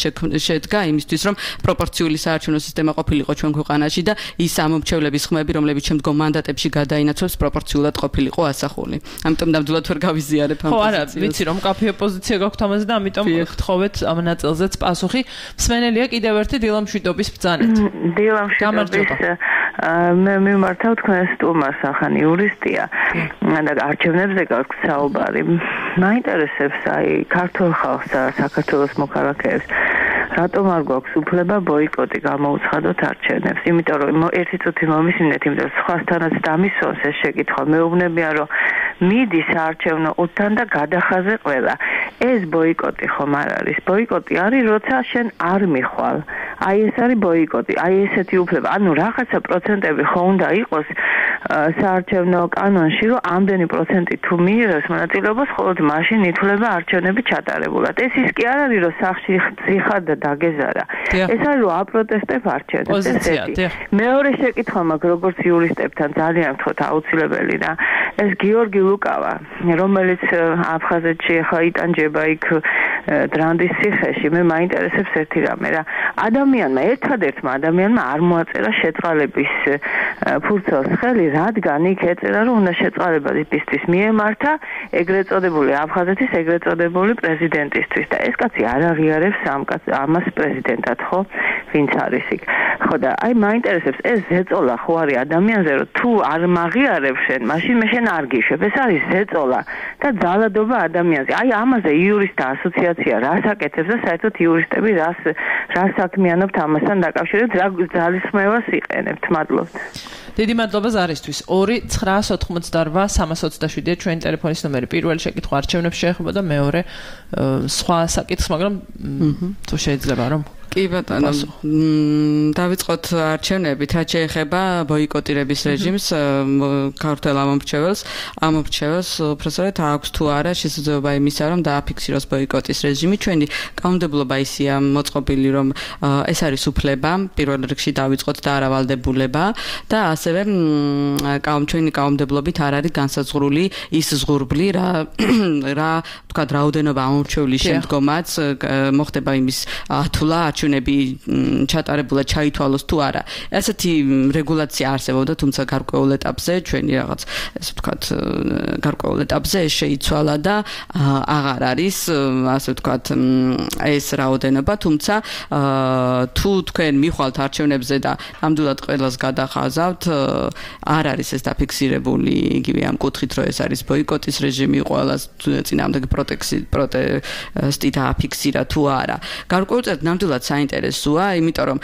შედგა იმისთვის რომ პროპორციული საარჩევნო სისტემა ყოფილიყო ჩვენ ქვეყანაში და ის ამომრჩევლების ხმები რომლებიც შემდგომ მანდატებში გადაინაცვლებს პროპორციულად ყოფილიყო ასახული. ამიტომ ნამდვილად ვერ გავიზიარებ ამ პოზიციას. ხო არა, ვიცი რომ კაფე პოზიცია გაქვთ ამაზე და ამიტომ გთხოვეთ ამ ნაწილზეც პასუხი. მსმენელია კიდევ ერთი დილამშვიდობის ბრძანეთ. დილამშვიდობის მე მიმართავ თქვენ სტუმარს ახან იურისტია და არჩევნებზე გაქვთ საუბარი. მაინტერესებს აი ქართულ ხალხს და საქართველოს მოქალაქეებს რატომ არ გვაქვს უფლება ბოიკოტი გამოუცხადოთ არჩევნებს? იმიტომ რომ ერთი წუთი მომისმინეთ, იმიტომ რომ სხვასთანაც დამისვენს ეს შეკითხვა. მეუბნებიან რომ მიდის საარჩევნო უთთან და გადახაზე ყველა. ეს ბოიკოტი ხომ არ არის? ბოიკოტი არის, როცა შენ არ მიხვალ. აი ეს არის ბოიკოტი, აი ესეთი უფლება. ანუ რაღაცა პროცენტები ხო უნდა იყოს საარჩევნო კანონში, რომ ამდენი პროცენტი თუ მიიღებს მონაწილეობას, მხოლოდ მაშინ ითვლება არჩევნები ჩატარებულად. ეს ის კი არ არის, რომ სახში ხარ და დაგეზარა. ეს არის რომ აპროტესტებ არჩევნებს. ესეთი. მეორე შეკითხვა მაქვს როგორც იურისტებთან ძალიან ვთქვათ აუცილებელი და ეს გიორგი ლუკავა, რომელიც აფხაზეთში ახლა იტანჯება იქ დრანდის ციხეში, მე მაინტერესებს ერთი რამე რა. ერთადერთმა ადამიანმა არ მოაწერა შეწყალების ფურცელს ხელი, რადგან იქ ეწერა რომ უნდა შეწყალებისთვის მიემართა ეგრეთ წოდებული აფხაზეთის ეგრეთ წოდებული პრეზიდენტისთვის და ეს კაცი არ აღიარებს ამას პრეზიდენტად, ხო? ვინც არის იქ. ხო და აი მაინტერესებს ეს ზეწოლა ხო არის ადამიანზე რომ თუ არ მაღიარებს შენ, მაშინ მე შენ არ გიშვებ. ეს არის ზეწოლა და ძალადობა ადამიანზე. აი ამაზე იურისტთა ასოციაცია ადმინისტრაცია რას აკეთებს და საერთოდ იურისტები რას საქმიანობთ ამასთან დაკავშირებით, რა ძალისხმევას იყენებთ. მადლობთ. დიდი მადლობა ზარისთვის. 2-988-327-ია ჩვენი ტელეფონის ნომერი. პირველი შეკითხვა არჩევნებს შეეხება და მეორე სხვა საკითხს, მაგრამ თუ შეიძლება რომ კი ბატონო, დავიწყოთ არჩევნებით, რაც შეეხება ბოიკოტირების რეჟიმს, ქართველ ამომრჩეველს უბრალოდ აქვს თუ არა შესაძლებლობა იმისა, რომ დააფიქსიროს ბოიკოტის რეჟიმი. ჩვენი კანონმდებლობა ისეა მოწყობილი, რომ ეს არის უფლება, პირველ რიგში დავიწყოთ და არავალდებულება და ასევე ჩვენი კანონმდებლობით არ არის განსაზღვრული ის ზღურბლი, რა თქვა რაოდენობა ამომრჩევლის შემდგომაც მოხდება იმის ათვლა არჩევნები ჩატარებულად ჩაითვალოს თუ არა. ასეთი რეგულაცია არსებობდა, თუმცა გარკვეულ ეტაპზე ჩვენი რაღაც ესე ვთქვათ გარკვეულ ეტაპზე შეიცვალა და აღარ არის ასე ვთქვათ ეს რაოდენობა, თუმცა თუ თქვენ მიხვალთ არჩევნებზე და ნამდვილად ყველას გადახაზავთ, არ არის ეს დაფიქსირებული იგივე ამ კუთხით, რომ ეს არის ბოიკოტის რეჟიმი, ყველას წინააღმდეგ პროტესტი დააფიქსირა თუ არა. გარკვეულწილად ნამდვილად საინტერესოა, იმიტომ რომ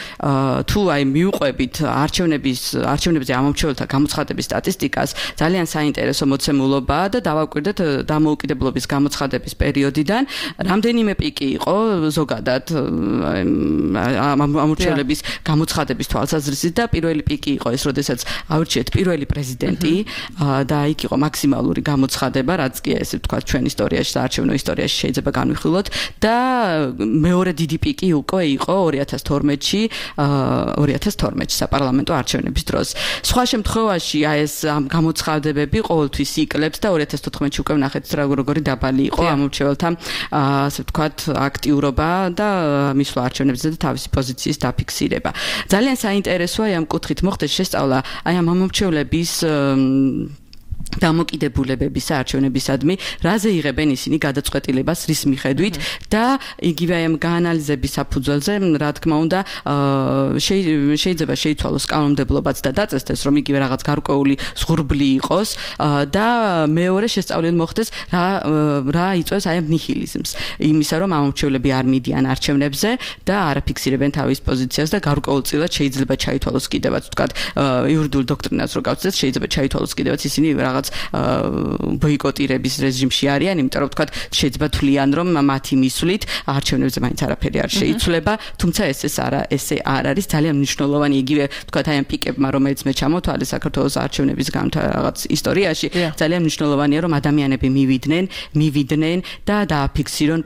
თუ აი მიუყვებით არჩევნებზე ამომრჩეველთა გამოცხადების სტატისტიკას, ძალიან საინტერესო მოცემულობაა და დავაკვირდეთ დამოუკიდებლობის გამოცხადების პერიოდიდან რამდენიმე პიკი იყო ზოგადად ამომრჩევლების გამოცხადების თვალსაზრისით და პირველი პიკი იყო ეს, როდესაც აურჩიეთ პირველი პრეზიდენტი და იქ იყო მაქსიმალური გამოცხადება, რაც კი ესე ვთქვათ ჩვენ ისტორიაში, საარჩევნო ისტორიაში შეიძლება განვიხილოთ და მეორე დიდი პიკი უკვე იყო 2012-ში საპარლამენტო არჩევნების დროს. სხვა შემთხვევაში ეს გამოცხადებები ყოველთვის იკლებს და 2014-ში უკვე ვნახეთ როგორი დაბალი იყო ამომრჩეველთა ასე ვთქვათ აქტიურობა და მისვლა არჩევნებზე და თავისი პოზიციის დაფიქსირება. ძალიან საინტერესოა ამ კუთხით მოხდეს შესწავლა აი ამ ამომრჩევლების დამოკიდებულებების არჩევნებისადმი, რაზე იღებენ ისინი გადაწყვეტილებას რის მიხედვით და იგივე ამ გაანალიზების საფუძველზე, რა თქმა უნდა, შეიძლება შეიცვალოს კანონმდებლობაც და დაწესდეს, რომ იგივე რაღაც გარკვეული ზღურბლი იყოს და მეორე შესწავლილი მოხდეს, რა იწვევს აი ამ ნიჰილიზმს. იმისა, რომ ამომრჩევლები არ მიდიან არჩევნებზე და არ აფიქსირებენ თავის პოზიციას და გარკვეულწილად შეიძლება ჩაითვალოს კიდევაც, ვთქვათ, იურიდიულ დოქტრინას რო გავცეთ, შეიძლება ჩაითვალოს კიდევაც ისინი რაღაც ბოიკოტირების რეჟიმში არიან, იმიტომ რომ ვთქვათ, შეიძლება თვლიან, რომ მათი მისვლით არჩევნებზე მაინც არაფერი არ შეიცვლება, თუმცა ესე არ არის ძალიან მნიშვნელოვანი იგივე ვთქვათ აი ამ პიკებმა, რომელიც მე ჩამოთვალე საქართველოს არჩევნების რაღაც ისტორიაში, ძალიან მნიშვნელოვანია, რომ ადამიანები მივიდნენ და დააფიქსირონ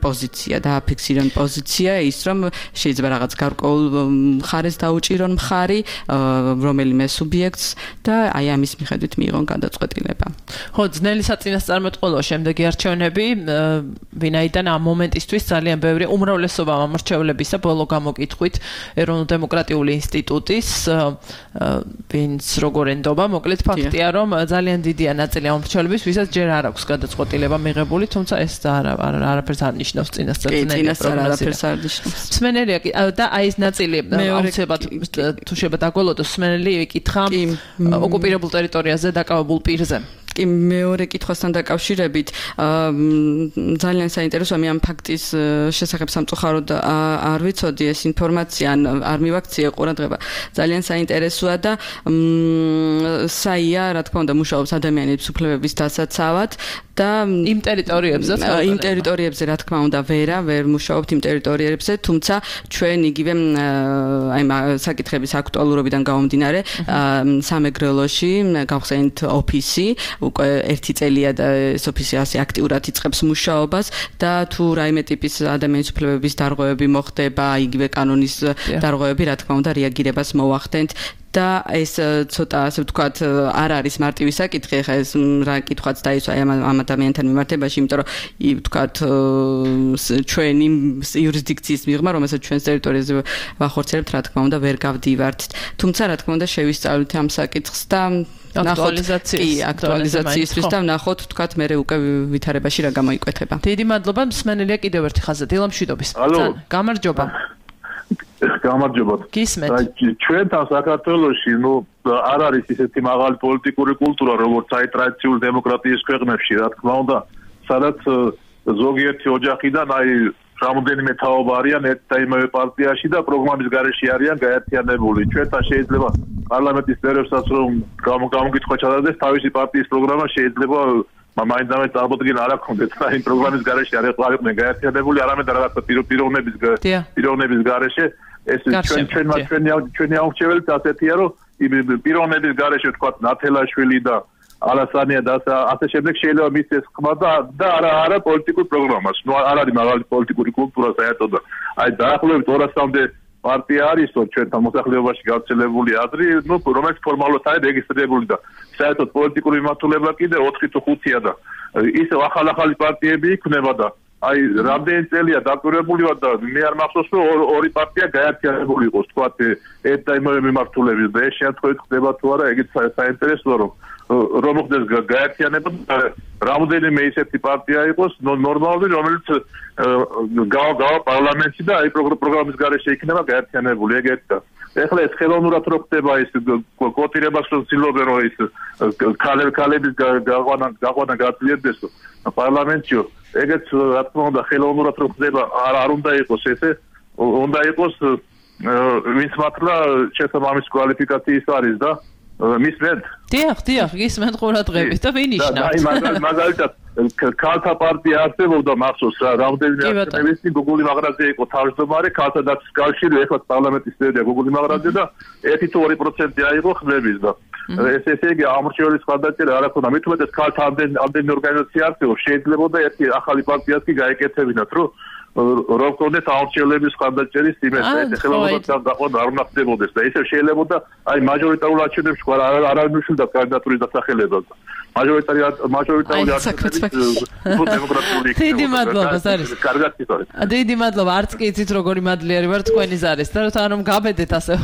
პოზიცია ის, რომ შეიძლება რაღაც გარკვეულ მხარეს დაუჭირონ მხარი რომელიმე სუბიექტს და აი ამის მიხედვით მიიღონ გადაწყვეტილება. ხო, ძნელი საწინასწარმეტყველოა შემდეგი არჩევნები, ვინაიდან ამ მომენტისთვის ძალიან ბევრი უმრავლესობა ამომრჩევლებისა ბოლო გამოკითხვით ეროვნულ-დემოკრატიული ინსტიტუტის ვინც როგორ ენდობა, მოკლედ ფაქტია, რომ ძალიან დიდია ნაწილი ამომრჩევლების, ვისაც ჯერ არ აქვს გადაწყვეტილება მიღებული, თუმცა ეს არაფერს არ ნიშნავს წინასწარ. მსმენელია და აი ეს ნაწილი აუცილებლად თუ შეიძლება დაგველოდოს, მსმენელი ეკითხა ოკუპირებულ ტერიტორიაზე დაკავებულ პირზე. კი მეორე კითხვასთან დაკავშირებით ძალიან საინტერესოა, მე ამ ფაქტის შესახებ სამწუხაროდ არ ვიცოდი ეს ინფორმაცია, არ მივაქციე ყურადღება. ძალიან საინტერესოა და საია, რა თქმა უნდა, მუშაობს ადამიანების უფლებების დასაცავად და იმ ტერიტორიებზე რა თქმა უნდა ვერ მუშაობთ იმ ტერიტორიებზე, თუმცა ჩვენ იგივე აი საკითხების აქტუალურობიდან გამომდინარე სამეგრელოში გავხსენით ოფისი უკვე ერთი წელია და ეს ოფისი ასე აქტიურად იწყებს მუშაობას და თუ რაიმე ტიპის ადამიანის უფლებების დარღვევები მოხდება, იგივე კანონის დარღვევები, რა თქმა უნდა, რეაგირებას მოვახდენთ და ეს ცოტა ასე ვთქვათ არ არის მარტივი საკითხი, ხა ეს რა კითხვაც დაისვა ამ ადამიანთან მიმართებაში, იმიტომ რომ ვთქვათ ჩვენი იურისდიქციის მიღმა, რომელსაც ჩვენს ტერიტორიაზე ვახორციელებთ, რა თქმა უნდა ვერ გავდივართ. თუმცა რა თქმა უნდა შევისწავლით ამ საკითხს და აქტუალიზაციისთვის და ვნახოთ, ვთქვათ, მე უკვე ვითარებაში რა გამოიკვეთება. დიდი მადლობა, მსმენელია კიდევ ერთი ხაზი, დილამშვიდობის. გამარჯობა. გამარჯობა. გისმენთ. ჩვენთან საქართველოში, არ არის ისეთი მაღალი პოლიტიკური კულტურა, როგორც აი ტრადიციული დემოკრატიის ქვეყნებში, რა თქმა უნდა, სადაც ზოგიერთი ოჯახიდან აი რამოდენიმე თაობა არიან ერთ და იმავე პარტიაში და პროგრამის გარეშე არიან გაერთიანებული. ჩვენთან შეიძლება პარლამენტის წევრებსაც რომ გამოგიტყვა ჩადარდეს თავისი პარტიის პროგრამა შეიძლება მაინდამე წარმოდგენა არ აქვს და იმ პროგრამის გარეშე არ ეყარებდნენ გაერთიანებული არამედ რაღაცა პიროვნების გარეშე ეს ჩვენი აუჩეველიც ასეთია რომ პიროვნების გარეშე თქვა ნათელაშვილი და ალასანია და ასე შემდეგ შეიძლება მისცეს ხმა და არა პოლიტიკურ პროგრამას. ნუ არ არის მაღალი პოლიტიკური კულტურა საერთოდ და აი დაახლოებით 200-მდე პარტია არის ჩვენთან მოსახლეობაში გავრცელებული აზრი, ნუ რომელიც ფორმალურად არის რეგისტრირებული და საერთოდ პოლიტიკური მიმართულება კიდე 4 თუ 5-ია და ისევ ახალ-ახალი პარტიები იქნება და აი რამდენი წელია დაკვირვებული ვარ და მე არ მახსოვს რომ ორი პარტია გაერთიანებული იყოს თქვა ერთ და იმავე მიმართულებით და ეს შემთხვევით ხდება თუ არა ეგეც საინტერესოა რომ მოხდეს გაერთიანება რამდენიმე ისეთი პარტია იყოს ნორმალური რომელიც გავა პარლამენტში და აი პროგრამის გარეშე იქნება გაერთიანებული ეგეთ და ეხლა ეს ხელოვნურად რო ხდება ის კოტირებას რო ცდილობენ რომ ის ქალების გაყვანა გაწლიებდეს პარლამენტში ეგეც რა თქმა უნდა ხელოვნურად რო ხდება არ უნდა იყოს ესე უნდა იყოს ვინც მართლა შესაბამის კვალიფიკაციის არის და მისმენთ დიახ გისმენთ ყურადღებით და ვინიშნავთ აი მაგალითად ქალთა პარტია არსებობდა მახსოვს რა რამდენიმე ათწლედის წინ გუგული მაღრაძე იყო თავმჯდომარე ქალთა დაცვის კავშირი ეხლა პარლამენტის წევრია გუგული მაღრაძე და 1-2% აიღო ხმების და ესე იგი ამორჩევლის ხარდაჭერა არ აქვს და მით უმეტეს ქალთა ამდენი ორგანიზაცია არსებობს შეიძლებოდა ერთი ახალი პარტიას კი გაეკეთებინათ რომ როქონდეთ აურჩევლების ხარდაჭერის იმედი ხელოვნურად დაყვანა არ უნდა ხდებოდეს და ისე შეიძლებოდა აი მაჟორიტარულ არჩევნებში არ ნიშნულდა კანდიდატურის დასახელებას მაჟორიტარული არჩევნები დემოკრატიული დიდი მადლობა ზარის კარგად გიტყვით დიდი მადლობა არც კი იცით როგორი მადლიერი ვარ თქვენი ზარის და რომ გაბედეთ ასე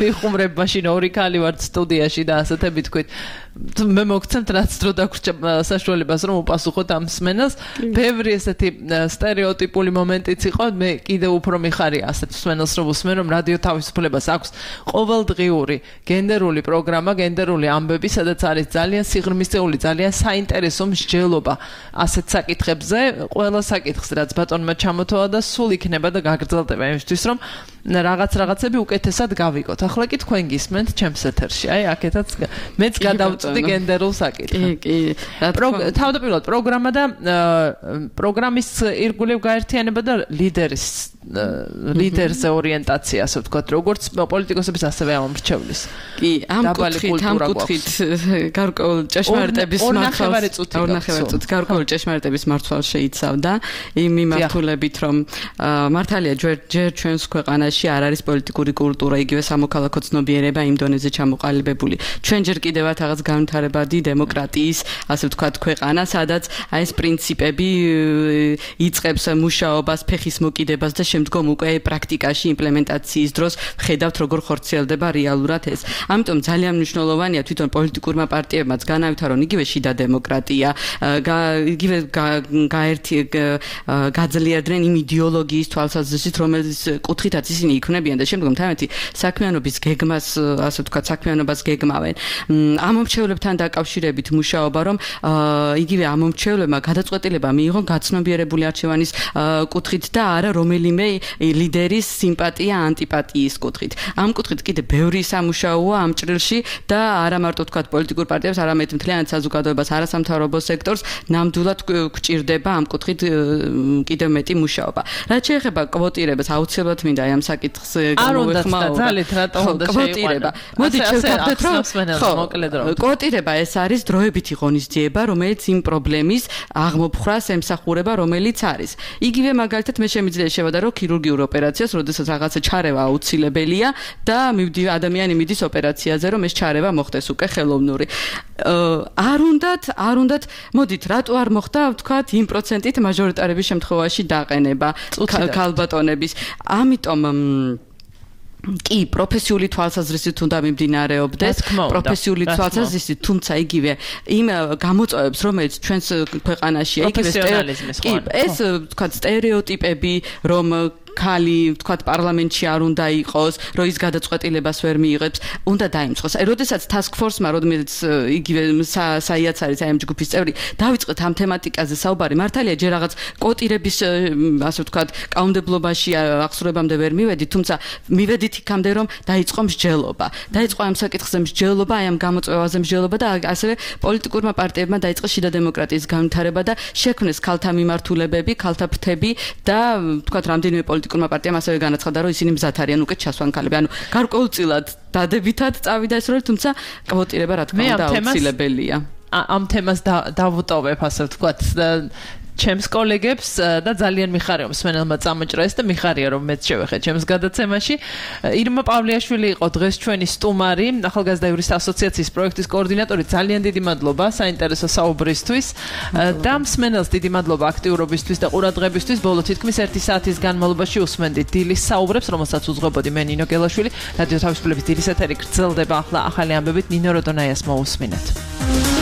მიხუმრებ მაშინ ორი ქალი ვართ სტუდიაში და ასეთები თქვით მე მოგცემთ რაც დრო დაგვრჩა საშუალებას რომ უპასუხოთ ამ მსმენელს ბევრი ესეთი სტერეოტიპული მომენტიც იყო მე კიდევ უფრო მიხარია ასეთ მსმენელს რომ უსმენ რომ რადიო თავისუფლებას აქვს ყოველდღიური გენდერული პროგრამა გენდერული ამბები სადაც არის ძალიან სიღრმისეული ძალიან საინტერესო მსჯელობა ასეთ საკითხებზე ყველა საკითხს რაც ბატონმა ჩამოთვალა და სულ იქნება და გაგრძელდება იმისთვის რომ რაღაცები უკეთესად გავიგოთ. ახლა კი თქვენ გისმენთ ჩემს ეთერში. აი, აქეთაც მეც გადავწვდი გენდერულ საკითხს. კი. თავდაპირველად პროგრამა და პროგრამის ირგვლივ გაერთიანება და ლიდერზე ორიენტაცია, ასე ვთქვათ, როგორც პოლიტიკოსების ასევე ამორჩევლის. კი, ამ კუთხით გარკვეულ ჭეშმარიტების მართვას გარკვეულ ჭეშმარიტების მართვას შეიცავდა იმ მიმართულებით, რომ მართალია ჯერ ჩვენს ქვეყანაში არ არის პოლიტიკური კულტურა, იგივე სამოქალაქო ცნობიერება იმ დონეზე ჩამოყალიბებული. ჩვენ ჯერ კიდევ რაღაც განვითარებადი დემოკრატიის, ასე ვთქვათ, ქვეყანა, სადაც აი ეს პრინციპები იწყებს მუშაობას, ფეხის მოკიდებას და შემდგომ უკვე პრაქტიკაში იმპლემენტაციის დროს ხედავთ როგორ ხორციელდება რეალურად ეს. ამიტომ ძალიან მნიშვნელოვანია თვითონ პოლიტიკურმა პარტიებმაც განავითარონ იგივე შიდა დემოკრატია, იგივე გაძლიერდნენ იმ იდეოლოგიის თვალსაზრისით, რომელიც კუთხითაც ისინი იქმნებიან და შემდგომ თამეთი საქმიანობის გეგმას, ასე ვთქვათ, საქმიანობას გეგმავენ. ამომრჩევლებთან დაკავშირებით მუშაობა, რომ იგივე ამომრჩევლებმა გადაწყვეტილება მიიღონ გაცნობიერებული არჩევანის კუთხით და არა რომელიმე ლიდერის სიმპათია ანტიპათიის კუთხით. ამ კუთხით კიდე ბევრი სამუშაოა ამ ჭრილში და არა მარტო ვთქვათ პოლიტიკურ პარტიებს, არამედ მთლიანად საზოგადოებას, არასამთავრობო სექტორს ნამდვილად გვჭირდება ამ კუთხით კიდევ მეტი მუშაობა. რაც შეეხება კვოტირებას, აუცილებლად მინდა ამ საკითხს გამოვეხმაუროთ. ძალით რატომ უნდა შეიყვანა? მოდით შევთანხმდეთ, რომ კვოტირება ეს არის დროებითი ღონისძიება, რომელიც იმ პრობლემის აღმოფხრას ემსახურება, რომელიც არის. იგივე მაგალითად მე შემიძლია შევადარო ქირურგიულ ოპერაციას, როდესაც რაღაცა ჩარევა აუცილებელია და ადამიანი მიდის ოპერაციაზე, რომ ეს ჩარევა მოხდეს უკვე ხელოვნური. არ უნდათ, მოდით, რატო არ მოხდა, ვთქვათ, იმ პროცენტით მაჟორიტარების შემთხვევაში დაყენება ქალბატონების. ამიტომ კი, პროფესიული თვალსაზრისით უნდა მიმდინარეობდეს, პროფესიული თვალსაზრისით, თუმცა იგივე იმ გამოწვევებს, რომელიც ჩვენს ქვეყანაშია, იგივე ეს ვთქვათ, სტერეოტიპები, რომ ქალი, თქვათ, პარლამენტში არ უნდა იყოს, რომ ის გადაწყვეტილებას ვერ მიიღებს, უნდა დაიმსხოს. აი, როდესაც task force-მა, როდესაც იგივე საიაც არის აი ამ ჯგუფის წევრი, დავიწყეთ ამ თემატიკაზე საუბარი. მართალია, ჯერ რაღაც კოტირების, ასე ვთქვათ, კაუნდებლობაში აღსრულებამდე ვერ მივედი, თუმცა მივედით იქამდე, რომ დაიწყო მსჯელობა. დაიწყო ამ საკითხზე მსჯელობა, აი ამ გამოწვევაზე მსჯელობა და ასევე პოლიტიკურმა პარტიებმა დაიწყეს შიდა დემოკრატიის განვითარება და შექმნეს ქალთა მიმართულებები, ქალთა ფრთები და თქვათ რამდენიმე პოლიტიკურმა პარტიამ ასევე განაცხადა, რომ ისინი მზად არიან უკეთ ჩასვან ქალები. ანუ გარკვეულწილად დადებითად წავიდა ეს როლი, თუმცა კვოტირება რა თქმა უნდა აუცილებელია. ამ თემას დავუტოვებ, ასე ვთქვათ, ჩემს კოლეგებს და ძალიან მიხარია მსმენელმა წამოჭრა ეს და მიხარია რომ მეც შევეხე ჩემს გადაცემაში. ირმა პავლიაშვილი იყო დღეს ჩვენი სტუმარი, ახალგაზრდა იურისტთა ასოციაციის პროექტის კოორდინატორი. ძალიან დიდი მადლობა საინტერესო საუბრისთვის და მსმენელს დიდი მადლობა აქტიურობისთვის და ყურადღებისთვის. ბოლო თითქმის 1 საათის განმავლობაში უსმენდით დილის საუბრებს, რომელსაც უძღვებოდი მე ნინო გელაშვილი. რადიო თავისუფლების დილის ეთერი გრძელდება ახლა ახალი ამბებით. ნინო როდონაიას მოусმინეთ.